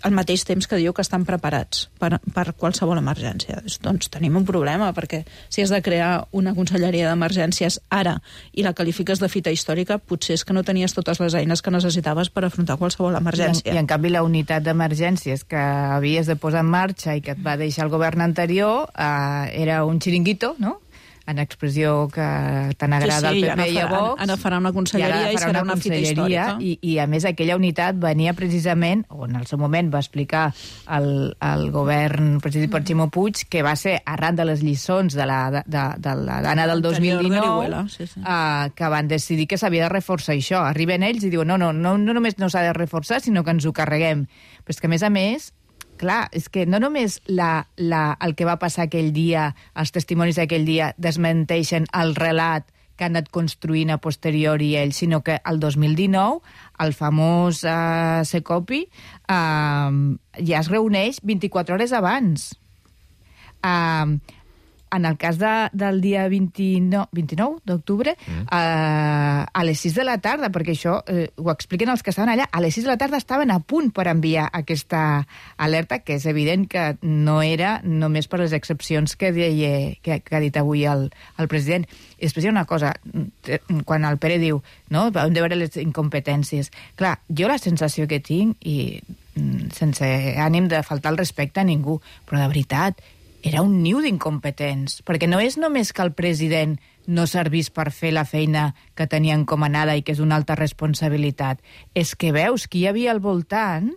Al mateix temps que diu que estan preparats per qualsevol emergència. Doncs tenim un problema, perquè si has de crear una conselleria d'emergències ara i la qualifiques de fita històrica, potser és que no tenies totes les eines que necessitaves per afrontar qualsevol emergència. I en canvi la unitat d'emergències que havies de posar en marxa i que et va deixar el govern anterior era un xiringuito, no?, en expressió que tant agrada al PP i a Vox. Ara farà una conselleria i serà una fita històrica. I a més aquella unitat venia precisament, o en el seu moment va explicar el govern presidit per Ximo Puig, que va ser arran de les lliçons de la Dana del 2019 que van decidir que s'havia de reforçar això. Arriben ells i diuen no només no s'ha de reforçar, sinó que ens ho carreguem. Però és que a més, clar, és que no només el que va passar aquell dia, els testimonis d'aquell dia, desmenteixen el relat que han anat construint a posteriori ells, sinó que el 2019 el famós CECOPI ja es reuneix 24 hores abans. En el cas del dia 29 d'octubre, a les 6 de la tarda, perquè això ho expliquen els que estaven allà, a les 6 de la tarda estaven a punt per enviar aquesta alerta, que és evident que no era només per les excepcions que ha dit avui el president. I després hi ha una cosa, quan el Pere diu, no, hem de veure les incompetències. Clar, jo la sensació que tinc, i sense ànim de faltar el respecte a ningú, però de veritat, era un niu d'incompetents, perquè no és només que el president no servís per fer la feina que tenia encomanada i que és una alta responsabilitat, és que veus qui hi havia al voltant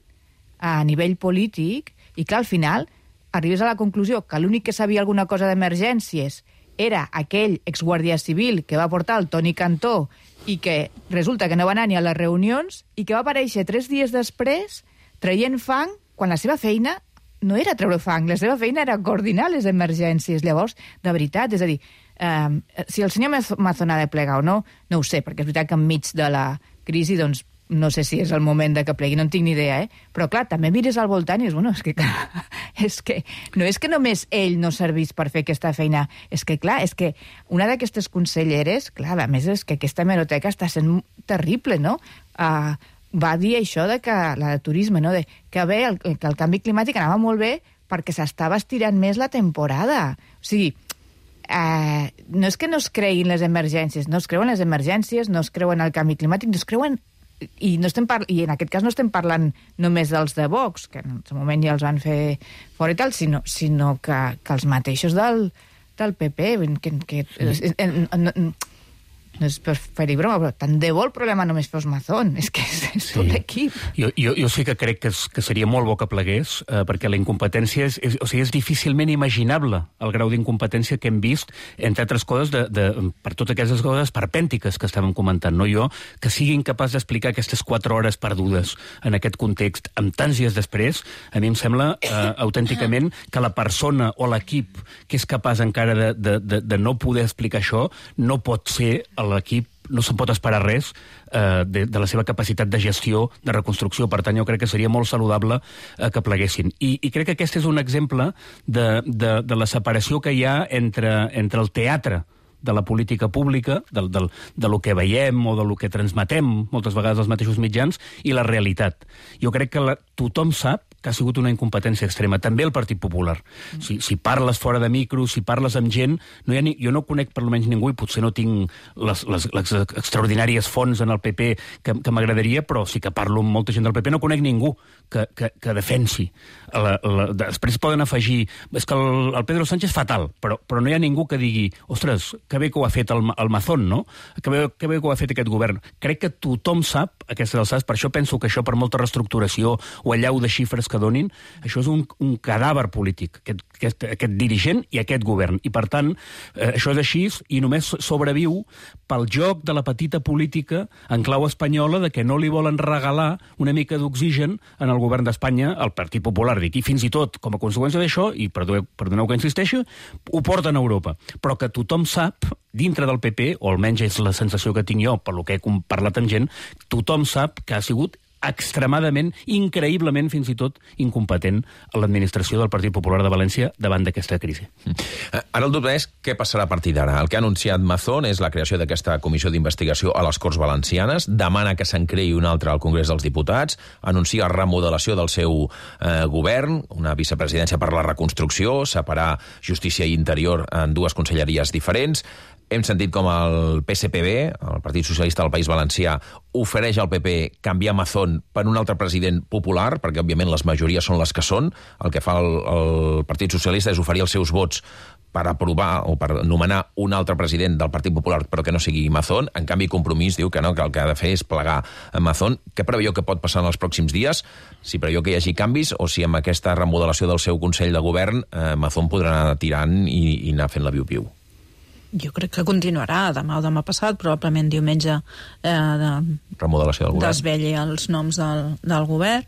a nivell polític i, clar, al final arribes a la conclusió que l'únic que sabia alguna cosa d'emergències era aquell exguàrdia civil que va portar el Toni Cantó i que resulta que no va anar ni a les reunions i que va aparèixer 3 dies després traient fang quan la seva feina no era treure fang, la seva feina era coordinar les emergències. Llavors, de veritat, és a dir, si el senyor Mazón ha de plegar o no, no ho sé, perquè és veritat que enmig de la crisi, doncs, no sé si és el moment de que plegui, no en tinc ni idea, Però, clar, també mires al voltant i dius, bueno, és que no és que només ell no servís per fer aquesta feina, és que, clar, és que una d'aquestes conselleres, clar, a més és que aquesta hemeroteca està sent terrible, no? Va dir això de que la de turisme, no? Que el canvi climàtic anava molt bé perquè s'estava estirant més la temporada. O sigui, no és que no es creguin les emergències, no es creuen les emergències, no es creuen el canvi climàtic, no es creuen... I en aquest cas no estem parlant només dels de Vox, que en el moment ja els van fer fora i tal, sinó que els mateixos del PP, que no és per fer-hi broma, però tant de bo el problema només fos Mazón, és que és tot l'equip. Jo sí que crec que seria molt bo que plegués, perquè la incompetència és difícilment imaginable, el grau d'incompetència que hem vist, entre altres coses, per totes aquestes coses perpèntiques que estàvem comentant, no? Jo, que sigui incapaç d'explicar aquestes 4 hores perdudes en aquest context, amb tants dies després, a mi em sembla autènticament que la persona o l'equip que és capaç encara de no poder explicar això no pot ser l'equip, no se'n pot esperar res de la seva capacitat de gestió, de reconstrucció. Per tant, jo crec que seria molt saludable que pleguessin. I crec que aquest és un exemple de la separació que hi ha entre el teatre de la política pública, de lo que veiem o de lo que transmetem moltes vegades als mateixos mitjans, i la realitat. Jo crec que tothom sap que ha sigut una incompetència extrema, també el Partit Popular. Si parles fora de micro, si parles amb gent, jo no conec per almenys ningú, i potser no tinc les extraordinàries fonts en el PP que m'agradaria, però sí que parlo amb molta gent del PP, no conec ningú que defensi. Després poden afegir, és que el Pedro Sánchez fatal, però no hi ha ningú que digui, ostres, que bé que ho ha fet el Mazón, no? Que bé que ho ha fet aquest govern. Crec que tothom sap aquestes alçades, per això penso que això, per molta reestructuració o allau de xifres que donin, això és un cadàver polític, aquest dirigent i aquest govern. I, per tant, això és així i només sobreviu pel joc de la petita política en clau espanyola de que no li volen regalar una mica d'oxigen en el govern d'Espanya, al Partit Popular, dic, i fins i tot, com a conseqüència d'això, i perdoneu que insisteixi, ho porten a Europa. Però que tothom sap, dintre del PP, o almenys és la sensació que tinc jo, per lo que he parlat amb gent, tothom sap que ha sigut extremadament, increïblement, fins i tot, incompetent a l'administració del Partit Popular de València davant d'aquesta crisi. Ara el dubte és què passarà a partir d'ara. El que ha anunciat Mazón és la creació d'aquesta comissió d'investigació a les Corts Valencianes, demana que se'n creï una altra al Congrés dels Diputats, anuncia remodelació del seu govern, una vicepresidència per la reconstrucció, separar Justícia i Interior en 2 conselleries diferents. Hem sentit com el PSPB, el Partit Socialista del País Valencià, ofereix al PP canviar Mazón per un altre president popular, perquè, òbviament, les majories són les que són. El que fa el Partit Socialista és oferir els seus vots per aprovar o per nomenar un altre president del Partit Popular, però que no sigui Mazón. En canvi, Compromís diu que no, que el que ha de fer és plegar a Mazón. Què preveu que pot passar en els pròxims dies? Si preveu que hi hagi canvis o si amb aquesta remodelació del seu Consell de Govern Mazón podrà anar tirant i anar fent la piu-piu? Jo crec que continuarà demà o demà passat, probablement diumenge remodelació del govern. Desvelli els noms del govern.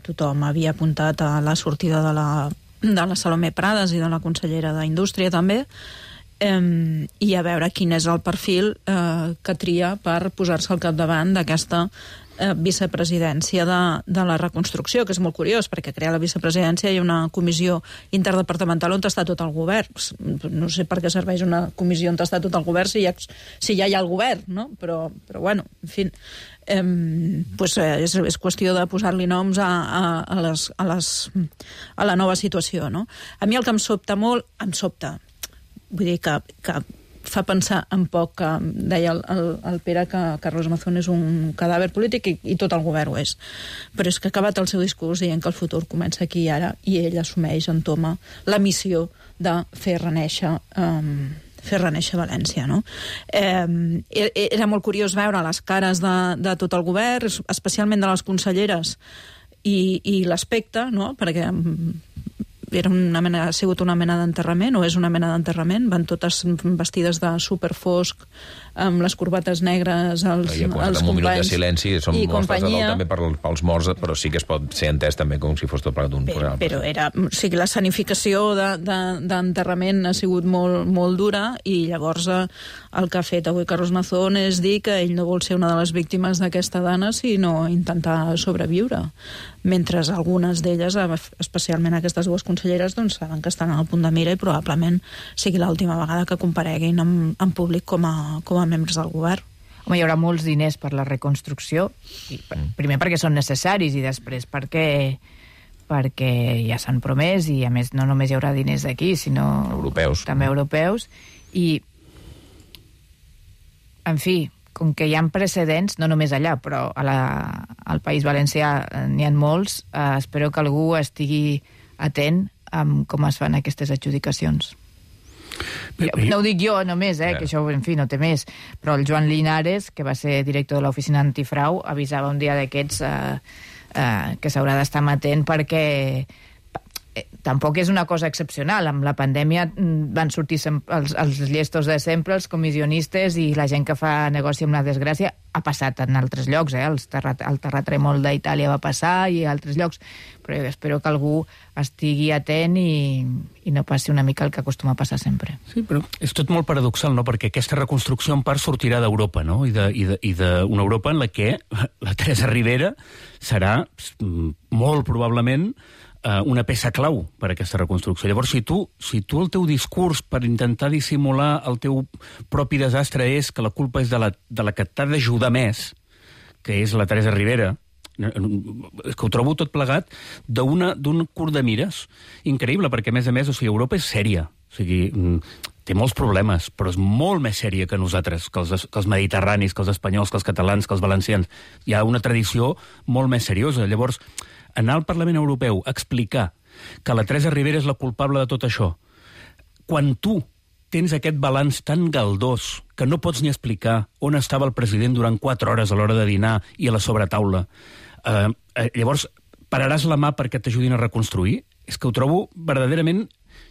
Tothom havia apuntat a la sortida de la Salomé Prades i de la consellera d'Indústria també, i a veure quin és el perfil que tria per posar-se al capdavant d'aquesta vicepresidència de la reconstrucció, que és molt curiós, perquè crear la vicepresidència hi ha una comissió interdepartamental on està tot el govern. No sé per què serveix una comissió on està tot el govern si ja hi ha el govern, no? Però bueno, en fi, pues és qüestió de posar-li noms a la nova situació, no? A mi el que em sobta molt, vull dir que fa pensar en poc que deia el Pere que Carlos Mazón és un cadàver polític i tot el govern ho és. Però és que ha acabat el seu discurs dient que el futur comença aquí i ara i ell assumeix, entoma la missió de fer renèixer València, no? Era molt curiós veure les cares de tot el govern, especialment de les conselleres i l'aspecte, no? Perquè ha sigut una mena d'enterrament, o és una mena d'enterrament, van totes vestides de superfosc, amb les corbates negres, els companys un minut de silenci, són mostres de dol també pels morts, però sí que es pot ser entès també com si fos tot plegat d'un funeral. Però la escenificació d'enterrament ha sigut molt dura, i llavors el que ha fet avui Carlos Mazón és dir que ell no vol ser una de les víctimes d'aquesta dana, sinó intentar sobreviure. Mentre algunes d'elles, especialment aquestes dues conselleres, doncs saben que estan al punt de mira i probablement sigui l'última vegada que compareguin en públic com a membres del govern. Home, hi haurà molts diners per la reconstrucció, primer perquè són necessaris i després perquè ja s'han promès, i a més no només hi haurà diners d'aquí, sinó també europeus, i en fi, com que hi ha precedents, no només allà, però al País Valencià n'hi ha molts, espero que algú estigui atent amb com es fan aquestes adjudicacions. No ho dic jo només, que això, en fi, no té més, però el Joan Linares, que va ser director de l'oficina antifrau, avisava un dia d'aquests que s'haurà d'estar amatent perquè tampoc és una cosa excepcional. Amb la pandèmia van sortir els llestos de sempre, els comissionistes i la gent que fa negoci amb la desgràcia. Ha passat en altres llocs, el terratrèmol d'Itàlia va passar i altres llocs, però jo espero que algú estigui atent i no passi una mica el que acostuma a passar sempre. Sí, però és tot molt paradoxal, no?, perquè aquesta reconstrucció en part sortirà d'Europa, no?, i d'una Europa en la què la Teresa Ribera serà molt probablement una peça clau per a aquesta reconstrucció. Llavors, si tu el teu discurs per intentar dissimular el teu propi desastre és que la culpa és de la que t'ha d'ajudar més, que és la Teresa Ribera, és que ho trobo tot plegat d'un curt de mires increïble, perquè a més, Europa és sèria. O sigui, té molts problemes, però és molt més sèria que nosaltres, que els mediterranis, que els espanyols, que els catalans, que els valencians. Hi ha una tradició molt més seriosa. Llavors, anar al Parlament Europeu a explicar que la Teresa Ribera és la culpable de tot això, quan tu tens aquest balanç tan galdós que no pots ni explicar on estava el president durant 4 hores a l'hora de dinar i a la sobretaula, llavors pararàs la mà perquè t'ajudin a reconstruir? És que ho trobo verdaderament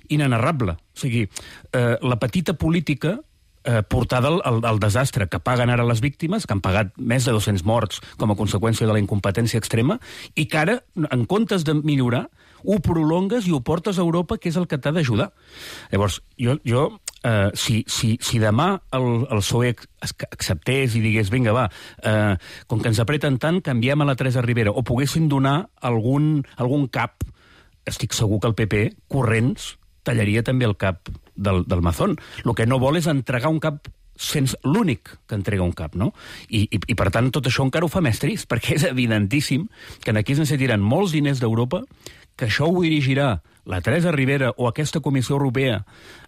inenarrable. O sigui, la petita política portada al desastre que paguen ara les víctimes, que han pagat més de 200 morts com a conseqüència de la incompetència extrema, i que ara, en comptes de millorar, ho prolongues i ho portes a Europa, que és el que t'ha d'ajudar. Llavors, si demà el PSOE acceptés i digués, vinga, va, com que ens apreten tant, canviem a la Teresa Ribera, o poguessin donar algun cap, estic segur que el PP, corrents, tallaria també el cap del Mazón. El que no vol és entregar un cap sense l'únic que entrega un cap, no? I per tant, tot això encara ho fa més trist, perquè és evidentíssim que aquí es necessitaran molts diners d'Europa, que això ho dirigirà la Teresa Ribera o aquesta Comissió Europea,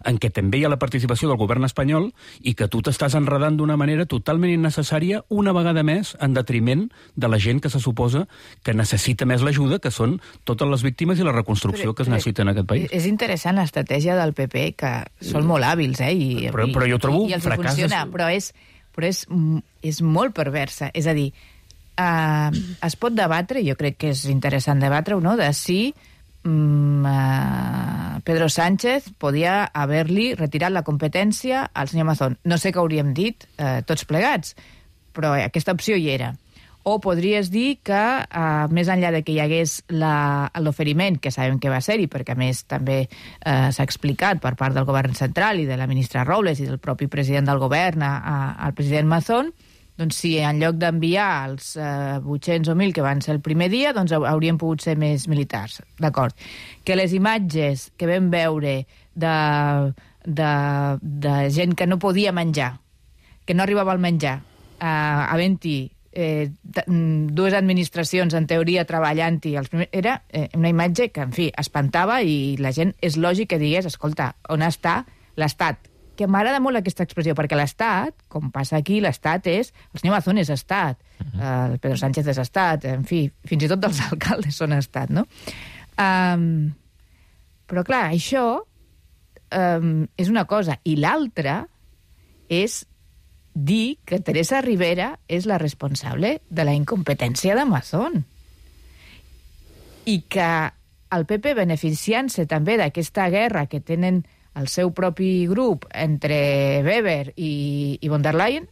en què també hi ha la participació del govern espanyol, i que tu t'estàs enredant d'una manera totalment innecessària, una vegada més, en detriment de la gent que se suposa que necessita més l'ajuda, que són totes les víctimes i la reconstrucció que es necessita en aquest país. És interessant l'estratègia del PP, que són molt hàbils, però jo trobo i els funciona, però és molt perversa. És a dir, es pot debatre, jo crec que és interessant debatre-ho, no?, de si Pedro Sánchez podia haver-li retirat la competència al senyor Mazón. No sé què hauríem dit tots plegats, però aquesta opció hi era. O podries dir que, més enllà de que hi hagués l'oferiment, que sabem que va ser-hi, perquè a més també s'ha explicat per part del govern central i de la ministra Robles i del propi president del govern al president Mazón, doncs si en lloc d'enviar els 800 o 1.000 que van ser el primer dia, doncs haurien pogut ser més militars. D'acord. Que les imatges que vam veure de gent que no podia menjar, que no arribava al menjar, havent-hi dues administracions, en teoria, treballant-hi, era una imatge que, en fi, espantava, i la gent és lògic que digués, escolta, on està l'Estat? que m'agrada molt aquesta expressió, perquè l'Estat, com passa aquí, l'Estat és... El senyor Mazón és Estat, el Pedro Sánchez és Estat, en fi, fins i tot els alcaldes són Estat, no? Però, clar, això és una cosa. I l'altra és dir que Teresa Rivera és la responsable de la incompetència de Mazón. I que el PP, beneficiant-se també d'aquesta guerra que tenen el seu propi grup entre Weber i von der Leyen,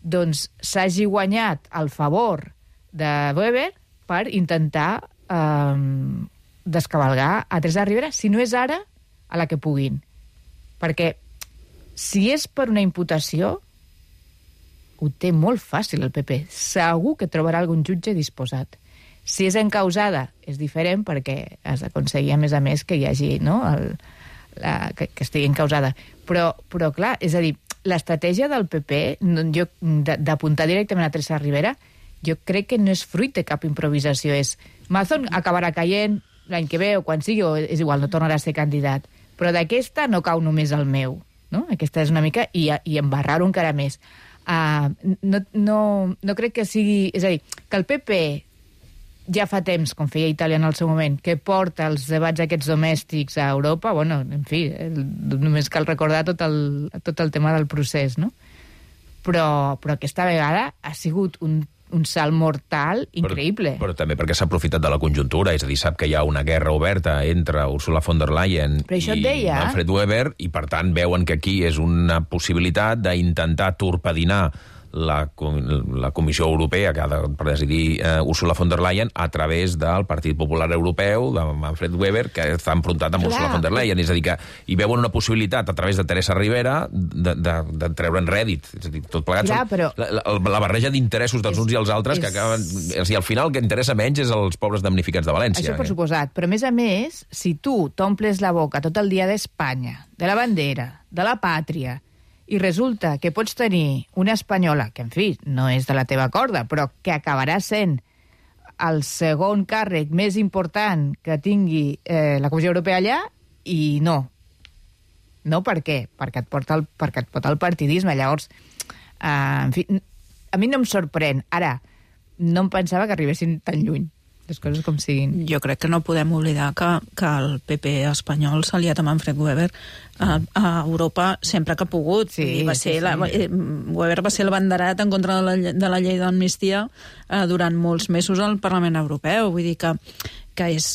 doncs s'hagi guanyat el favor de Weber per intentar descabalgar a Teresa Rivera, si no és ara, a la que puguin. Perquè si és per una imputació, ho té molt fàcil el PP. Segur que trobarà algun jutge disposat. Si és encausada, és diferent perquè has d'aconseguir, a més, que hi hagi, no?, que estigui encausada. Però, clar, és a dir, l'estratègia del PP, d'apuntar directament a Teresa Rivera, jo crec que no és fruit de cap improvisació. És Mazón acabarà caient l'any que ve o quan sigui, o és igual, no tornarà a ser candidat. Però d'aquesta no cau només el meu, no? Aquesta és una mica... I embarrar-ho encara més. No crec que sigui... És a dir, que el PP ja fa temps, com feia Itàlia en el seu moment, que porta els debats aquests domèstics a Europa, bueno, en fi, només cal recordar tot el tema del procés, no? Però aquesta vegada ha sigut un salt mortal increïble. Però també perquè s'ha aprofitat de la conjuntura, és a dir, sap que hi ha una guerra oberta entre Ursula von der Leyen i Manfred Weber, i per tant veuen que aquí és una possibilitat d'intentar torpedinar la Comissió Europea que ha de presidir Ursula von der Leyen a través del Partit Popular Europeu de Manfred Weber, que està enfrontat amb Ursula von der Leyen. És a dir, que hi veuen una possibilitat a través de Teresa Rivera de treure'n rèdit. És a dir, tot plegat la barreja d'interessos dels uns i els altres que acaben... És a dir, al final el que interessa menys és els pobres damnificats de València. Això per suposat. Però a més, si tu t'omples la boca tot el dia d'Espanya, de la bandera, de la pàtria, i resulta que pots tenir una espanyola, que en fi, no és de la teva corda, però que acabarà sent el segon càrrec més important que tingui la Comissió Europea allà, i no. No, per què? Perquè et porta el partidisme. Llavors, en fi, a mi no em sorprèn. Ara, no em pensava que arribessin tan lluny. Les coses com siguin. Jo crec que no podem oblidar que el PP espanyol s'ha aliat a Manfred Weber a Europa sempre que ha pogut. Weber va ser el banderat en contra de la llei d'amnistia durant molts mesos al Parlament Europeu. Vull dir que és...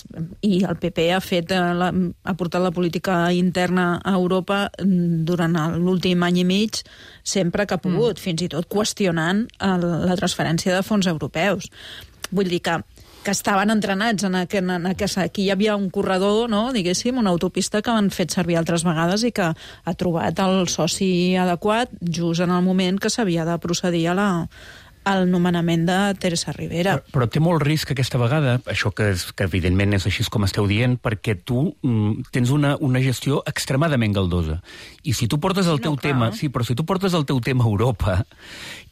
I el PP ha portat la política interna a Europa durant l'últim any i mig sempre que ha pogut, fins i tot qüestionant la transferència de fons europeus. Vull dir que estaven entrenats en aquesta... Aquí hi havia un corredor, no?, diguéssim, una autopista que han fet servir altres vegades i que ha trobat el soci adequat just en el moment que s'havia de procedir al nomenament de Teresa Rivera. Però té molt risc aquesta vegada, això que evidentment és així com esteu dient, perquè tu tens una gestió extremadament galdosa. I si tu portes el teu tema... Sí, però si tu portes el teu tema a Europa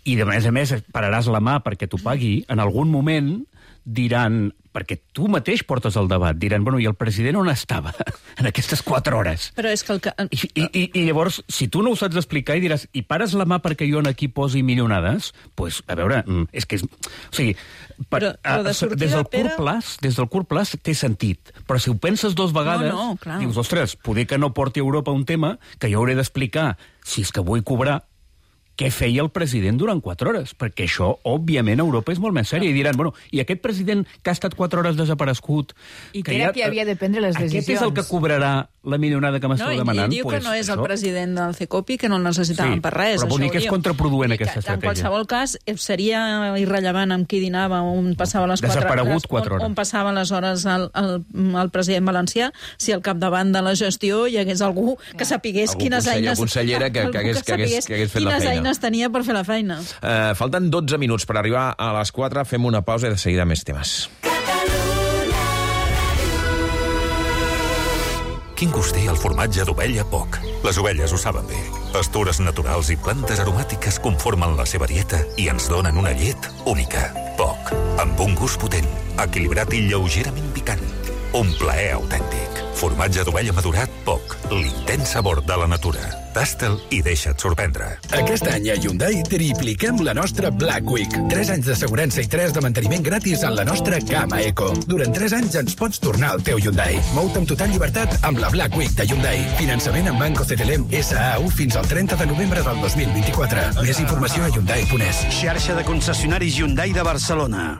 i a més pararàs la mà perquè t'ho pagui, en algun moment diran, perquè tu mateix portes el debat, diran, bueno, i el president on estava en aquestes 4 hores? Però és que I llavors, si tu no ho saps explicar i diràs, i pares la mà perquè jo aquí posi milionades, doncs, a veure, és que és... O sigui, des del curt plaç té sentit, però si ho penses 2 vegades, dius, ostres, poder que no porti a Europa un tema que jo hauré d'explicar, si és que vull cobrar, què feia el president durant 4 hores? Perquè això, òbviament, a Europa és molt més sèrie. I diran, bueno, i aquest president que ha estat 4 hores desaparegut... I que era qui havia de prendre les decisions. Aquest és el que cobrarà la milionada que m'esteu demanant? I diu que no és el president del CECOPI, que no el necessitaven per res. Però vol dir que és contraproduent aquesta estratègia. En qualsevol cas, seria irrellevant amb qui dinava, on passava les 4 hores... Desaparegut 4 hores. On passava les hores el president valencià, si al capdavant de la gestió hi hagués algú que sapigués quines eines... consellera que hagués fet la feina. Tenia per fer la feina. Falten 12 minuts per arribar a les 4. Fem una pausa i de seguida més temes. Quin gust té el formatge d'ovella Poc? Les ovelles ho saben bé. Pastures naturals i plantes aromàtiques conformen la seva dieta i ens donen una llet única. Poc, amb un gust potent, equilibrat i lleugerament picant. Un plaer autèntic. Formatge d'ovella madurat, poc. L'intens sabor de la natura. Tasta'l i deixa't sorprendre. Aquest any a Hyundai tripliquem la nostra Black Week. 3 anys d'assegurança i 3 de manteniment gratis en la nostra gamma Eco. Durant 3 anys ens pots tornar al teu Hyundai. Mou-te amb total llibertat amb la Black Week de Hyundai. Finançament amb Banco CTLM SAU fins al 30 de novembre del 2024. Més informació a Hyundai.es. Xarxa de concessionaris Hyundai de Barcelona.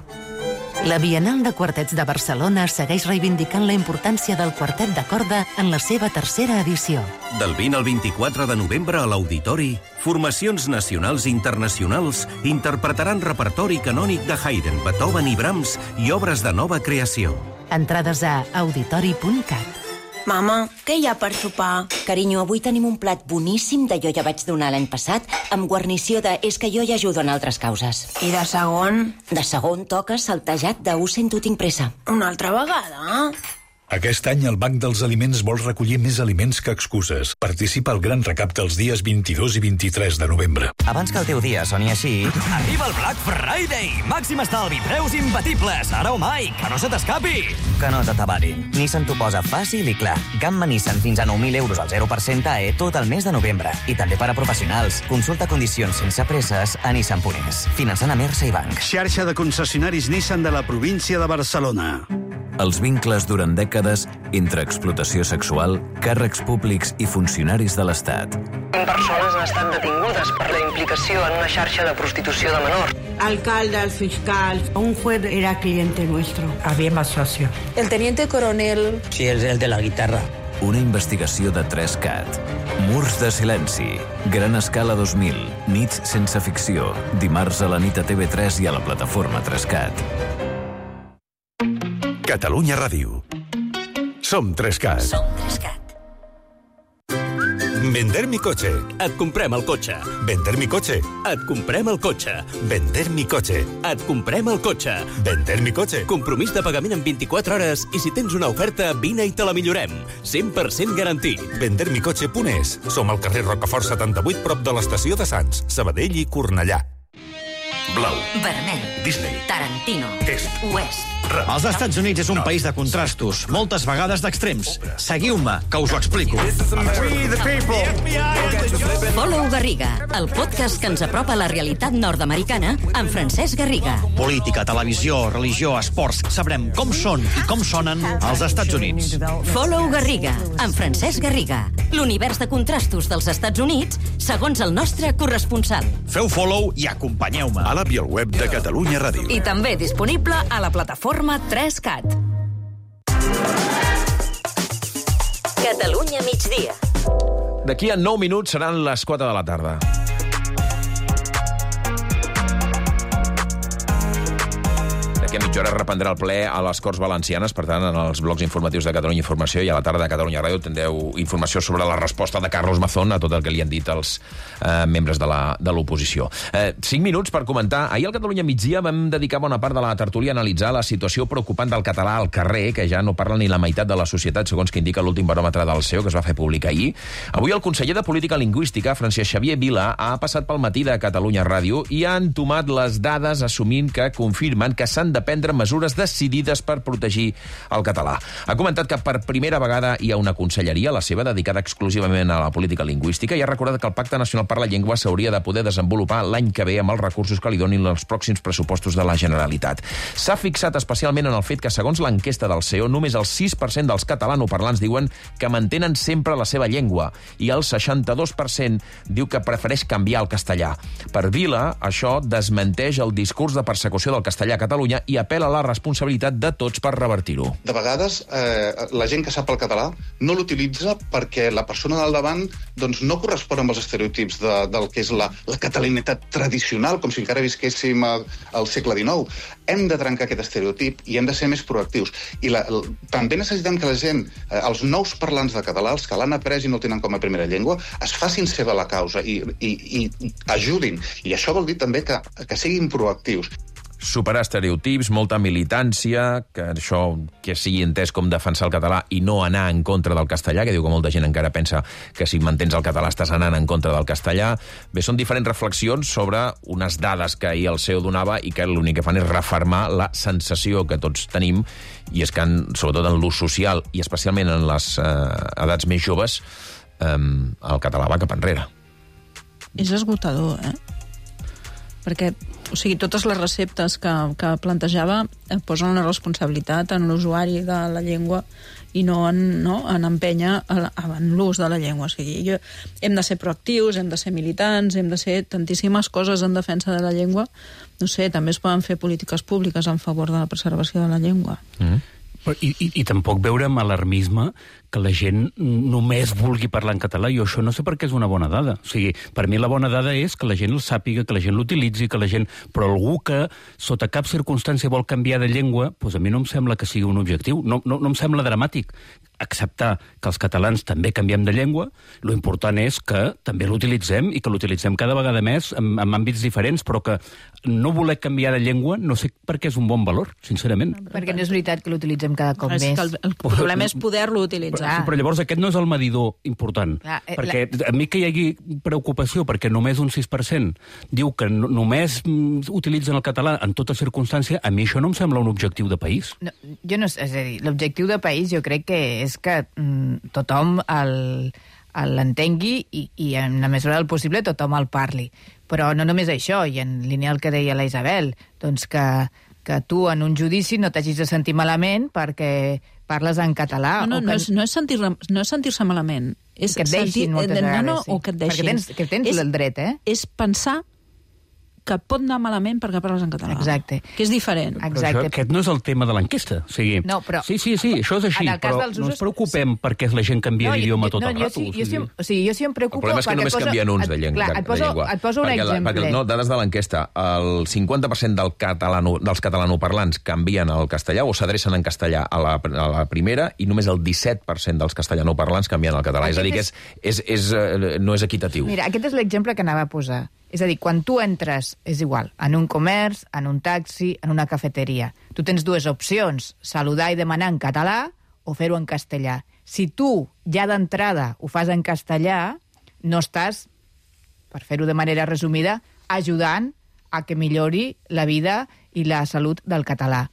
La Bienal de Quartets de Barcelona segueix reivindicant la importància del quartet de corda en la seva 3a edició. Del 20 al 24 de novembre a l'Auditori, formacions nacionals i internacionals interpretaran repertori canònic de Haydn, Beethoven i Brahms i obres de nova creació. Entrades a auditori.cat. Mama, què hi ha per sopar? Carinyo, avui tenim un plat boníssim de jo ja vaig donar l'any passat, amb guarnició de és que jo ja ajudo en altres causes. I de segon? De segon toca saltejat de ho sento, tinc pressa. Una altra vegada? Aquest any el Banc dels Aliments vol recollir més aliments que excuses. Participa al gran recapte els dies 22 i 23 de novembre. Abans que el teu dia soni així... Arriba el Black Friday! Màxim estalvi, preus imbatibles, ara o mai, que no se t'escapi! Que no t'atabarin. Nissan t'ho posa fàcil i clar. Gamma Nissan fins a 9.000 euros al 0% AE tot el mes de novembre. I també per a professionals. Consulta condicions sense presses a Nissan.es. Finançant a Mersa i Banc. Xarxa de concessionaris Nissan de la província de Barcelona. Els vincles durant dècades entre explotació sexual, càrrecs públics i funcionaris de l'Estat. 100 persones han estat detingudes per la implicació en una xarxa de prostitució de menors. Alcalde, el fiscal, un juez era cliente nuestro. Había más socio. El teniente coronel. Sí, es el de la guitarra. Una investigació de 3CAT. Murs de silenci. Gran escala 2000. Nits sense ficció. Dimarts a la nit a TV3 i a la plataforma 3CAT. Catalunya Ràdio. Som 3CAT. Som 3CAT. Vender mi coche. Et comprem el cotxe. Vender mi coche. Et comprem el cotxe. Vender mi coche. Et comprem el cotxe. Vender mi coche. Compromís de pagament en 24 hores i si tens una oferta, vine i te la millorem. 100% garantit. Vendermicoche.es. Som al carrer Rocafort 78, prop de l'estació de Sants, Sabadell i Cornellà. Blau. Vermell. Disney. Tarantino. Est. Oest. Els Estats Units és un país de contrastos, moltes vegades d'extrems. Seguiu-me, que us ho explico. Follow Garriga, el podcast que ens apropa a la realitat nord-americana amb Francesc Garriga. Política, televisió, religió, esports... Sabrem com són i com sonen els Estats Units. Follow Garriga, amb Francesc Garriga. L'univers de contrastos dels Estats Units, segons el nostre corresponsal. Feu follow i acompanyeu-me. A l'app i al web de Catalunya Ràdio. I també disponible a la plataforma 3CAT. Catalunya migdia. D'aquí a 9 minuts seran les 4 de la tarda. D'aquí a mitja hora reprendrà el ple a les Corts Valencianes, per tant, en els blocs informatius de Catalunya Informació i a la tarda de Catalunya Ràdio tindreu informació sobre la resposta de Carlos Mazón a tot el que li han dit els membres de l'oposició. 5 minuts per comentar. Ahir al Catalunya Migdia vam dedicar bona part de la tertúlia a analitzar la situació preocupant del català al carrer, que ja no parla ni la meitat de la societat, segons que indica l'últim baròmetre del CEO, que es va fer públic ahir. Avui el conseller de Política Lingüística, Francesc Xavier Vila, ha passat pel matí de Catalunya Ràdio i ha entomat les dades assumint que confirmen que s'han de prendre mesures decidides per protegir el català. Ha comentat que per primera vegada hi ha una conselleria, la seva, dedicada exclusivament a la política lingüística, i ha recordat que el Pacte Nacional per la Llengua s'hauria de poder desenvolupar l'any que ve amb els recursos que li donin els pròxims pressupostos de la Generalitat. S'ha fixat especialment en el fet que, segons l'enquesta del CEO, només el 6% dels catalanoparlants diuen que mantenen sempre la seva llengua i el 62% diu que prefereix canviar al castellà. Per Vila, això desmenteix el discurs de persecució del castellà a Catalunya i apel·la a la responsabilitat de tots per revertir-ho. De vegades, la gent que sap el català no l'utilitza perquè la persona del davant doncs, no correspon amb els estereotips del que és la catalanitat tradicional, com si encara visquéssim al segle XIX. Hem de trencar aquest estereotip i hem de ser més proactius. I també necessitem que la gent, els nous parlants de català, els que l'han après i no el tenen com a primera llengua, es facin seva la causa i ajudin. I això vol dir també que siguin proactius. superar estereotips, molta militància, que això que sigui entès com defensar el català i no anar en contra del castellà, que diu que molta gent encara pensa que si mantens el català estàs anant en contra del castellà. Bé, són diferents reflexions sobre unes dades que ahir el CEO donava i que l'únic que fan és refermar la sensació que tots tenim, i és que, sobretot en l'ús social i especialment en les edats més joves, el català va cap enrere. És esgotador, perquè, o sigui, totes les receptes que plantejava posen la responsabilitat en l'usuari de la llengua i no en empènyer en l'ús de la llengua. O sigui, hem de ser proactius, hem de ser militants, hem de ser tantíssimes coses en defensa de la llengua. No sé, també es poden fer polítiques públiques en favor de la preservació de la llengua. I tampoc veure amb alarmisme que la gent només vulgui parlar en català. Jo això no sé per què és una bona dada. O sigui, per mi la bona dada és que la gent el sàpiga, que la gent l'utilitzi, que la gent... Però algú que sota cap circumstància vol canviar de llengua, doncs a mi no em sembla que sigui un objectiu. No em sembla dramàtic acceptar que els catalans també canviem de llengua. Lo important és que també l'utilitzem i que l'utilitzem cada vegada més en àmbits diferents, però que no voler canviar de llengua no sé per què és un bon valor, sincerament. Perquè no és veritat que l'utilitzem cada cop més. El problema és poder-lo utilitzar. Però llavors aquest no és el medidor important. Perquè a mi que hi hagi preocupació perquè només un 6% diu que només utilitzen el català en tota circumstància, a mi això no em sembla un objectiu de país. No, jo no, és a dir, l'objectiu de país jo crec que és que tothom l'entengui i en la mesura del possible tothom el parli. Però no només això, i en línia el que deia la Isabel, doncs que tu en un judici no t'hagis de sentir malament perquè parles en català. No és sentir-se malament. És que et deixin moltes vegades. O que et deixin. Perquè tens el dret, És pensar que pot anar malament perquè parles en català. Exacte. Que és diferent. Però aquest no és el tema de l'enquesta. O sigui, no, però... Sí, això és així, però no ens preocupem perquè la gent canvia d'idioma tot el rato. Jo sí em preocupo... El problema és que només canvien uns de llengua. Et poso un exemple. Dades de l'enquesta. El 50% dels catalanoparlants canvien al castellà o s'adrecen en castellà a la primera i només el 17% dels castellanoparlants canvien al català. És a dir, que no és equitatiu. Mira, aquest és l'exemple que anava a posar. És a dir, quan tu entres, és igual, en un comerç, en un taxi, en una cafeteria. Tu tens dues opcions, saludar i demanar en català o fer-ho en castellà. Si tu, ja d'entrada, ho fas en castellà, no estàs, per fer-ho de manera resumida, ajudant a que millori la vida i la salut del català.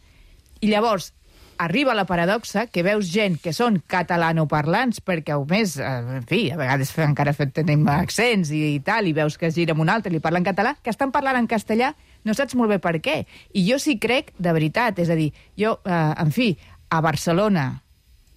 I llavors, arriba la paradoxa que veus gent que són catalanoparlants, perquè a més, en fi, a vegades encara tenim accents i tal, i veus que es gira amb un altre i li parla en català, que estan parlant en castellà, no saps molt bé per què. I jo sí crec, de veritat, és a dir, jo, en fi, a Barcelona,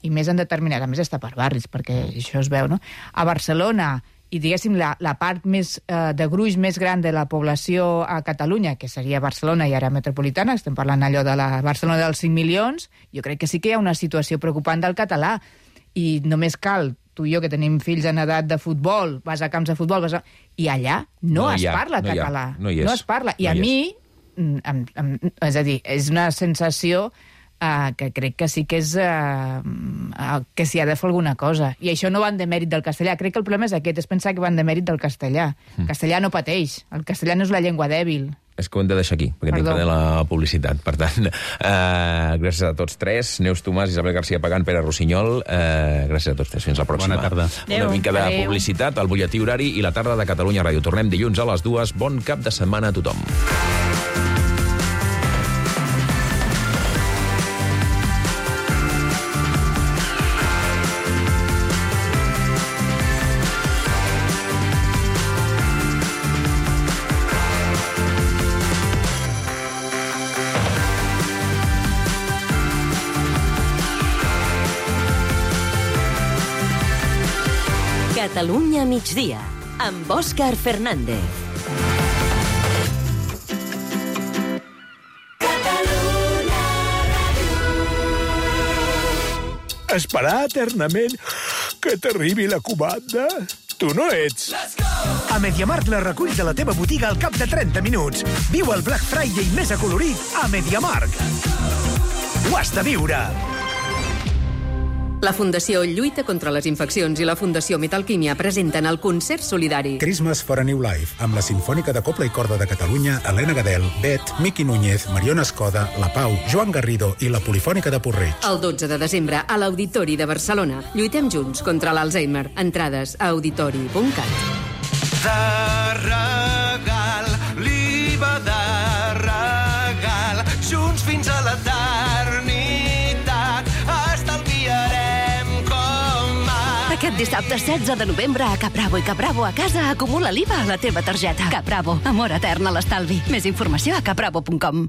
i més en determinat, a més està per barris, perquè això es veu, no? A Barcelona, i diguéssim la part més de gruix més gran de la població a Catalunya, que seria Barcelona i àrea metropolitana, estem parlant allò de la Barcelona dels 5 milions, jo crec que sí que hi ha una situació preocupant del català, i només cal, tu i jo que tenim fills en edat de futbol, vas a camps de futbol, i allà no es parla català. No es parla. I a mi, és a dir, és una sensació que crec que sí que és que s'hi ha de fer alguna cosa. I això no van de mèrit del castellà. Crec que el problema és aquest, és pensar que van de mèrit del castellà. El castellà no pateix. El castellà no és la llengua dèbil. És que ho hem de deixar aquí, perquè tinc que fer la publicitat. Per tant, gràcies a tots tres. Neus Tomàs, Isabel García Pagán, Pere Rossinyol. Gràcies a tots tres. Fins la pròxima. Bona tarda. Una mica de publicitat, el butlletí horari i la tarda de Catalunya Ràdio. Tornem dilluns a les 2. Bon cap de setmana a tothom. Catalunya migdia, amb Òscar Fernández. Esperar eternament que t'arribi la comanda? Tu no ets. A MediaMarkt la reculls a la teva botiga al cap de 30 minuts. Viu el Black Friday més acolorit a MediaMarkt. Ho has de viure! La Fundació Lluita contra les Infeccions i la Fundació Metalquímia presenten el concert solidari. Christmas for a New Life, amb la Sinfònica de Cobla i Corda de Catalunya, Helena Gadel, Bet, Miqui Núñez, Mariona Escoda, La Pau, Joan Garrido i la Polifònica de Porreig. El 12 de desembre a l'Auditori de Barcelona. Lluitem junts contra l'Alzheimer. Entrades a auditori.cat. De regal, l'IVA de regal, junts fins a l'eternitat, estalviarem com mai. Aquest dissabte 16 de novembre a Capravo i Capravo a casa acumula l'IVA a la teva targeta. Capravo, amor etern a l'estalvi. Més informació a capravo.com.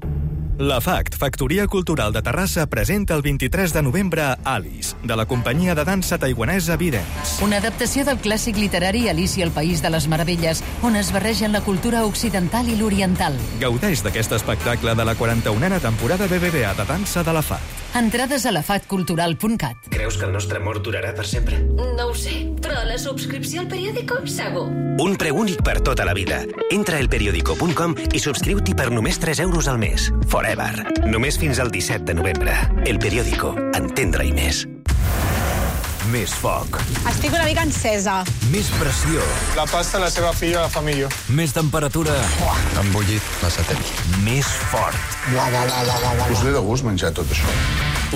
La FACT, Factoria Cultural de Terrassa, presenta el 23 de novembre Alice, de la companyia de dansa taiguanesa Vidents. Una adaptació del clàssic literari Alicia al País de les Meravelles, on es barregen la cultura occidental i l'oriental. Gaudeix d'aquest espectacle de la 41a temporada BBVA de dansa de la FACT. Entrades a lafatcultural.cat. Creus que el nostre amor durarà per sempre? No ho sé, però la subscripció al periòdico, segur. Un preu únic per tota la vida. Entra a elperiodico.com i subscriu-t'hi per només 3 euros al mes. Forever. Només fins al 17 de novembre. El Periódico. Entendre-hi més. Més foc. Estic una mica encesa. Més pressió. La pasta la seva filla la fa millor. Més temperatura. Embullit massa temps. Més fort. Us ve de gust menjar tot això.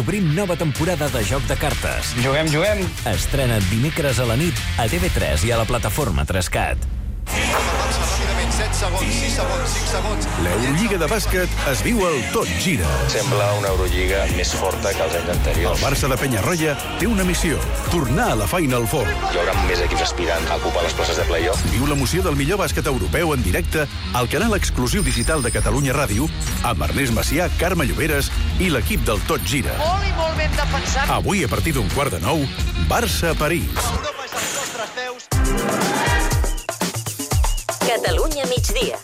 Obrim nova temporada de Joc de Cartes. Juguem. Estrena't dimecres a la nit a TV3 i a la plataforma 3CAT. 7 segons, 6 segons, 5 segons. L'Eurolliga de bàsquet es viu al Tot Gira. Sembla una Eurolliga més forta que els anys anteriors. El Barça de Penyarroia té una missió: tornar a la Final Four. Hi haurà més equips aspirant a ocupar les places de play-off. Viu l'emoció del millor bàsquet europeu en directe al canal exclusiu digital de Catalunya Ràdio amb Ernest Macià, Carme Lloberes i l'equip del Tot Gira. Molt i molt ben defensat. Avui, a partir d'un 8:45, Barça-París. Europa és les nostres veus. Catalunya migdia.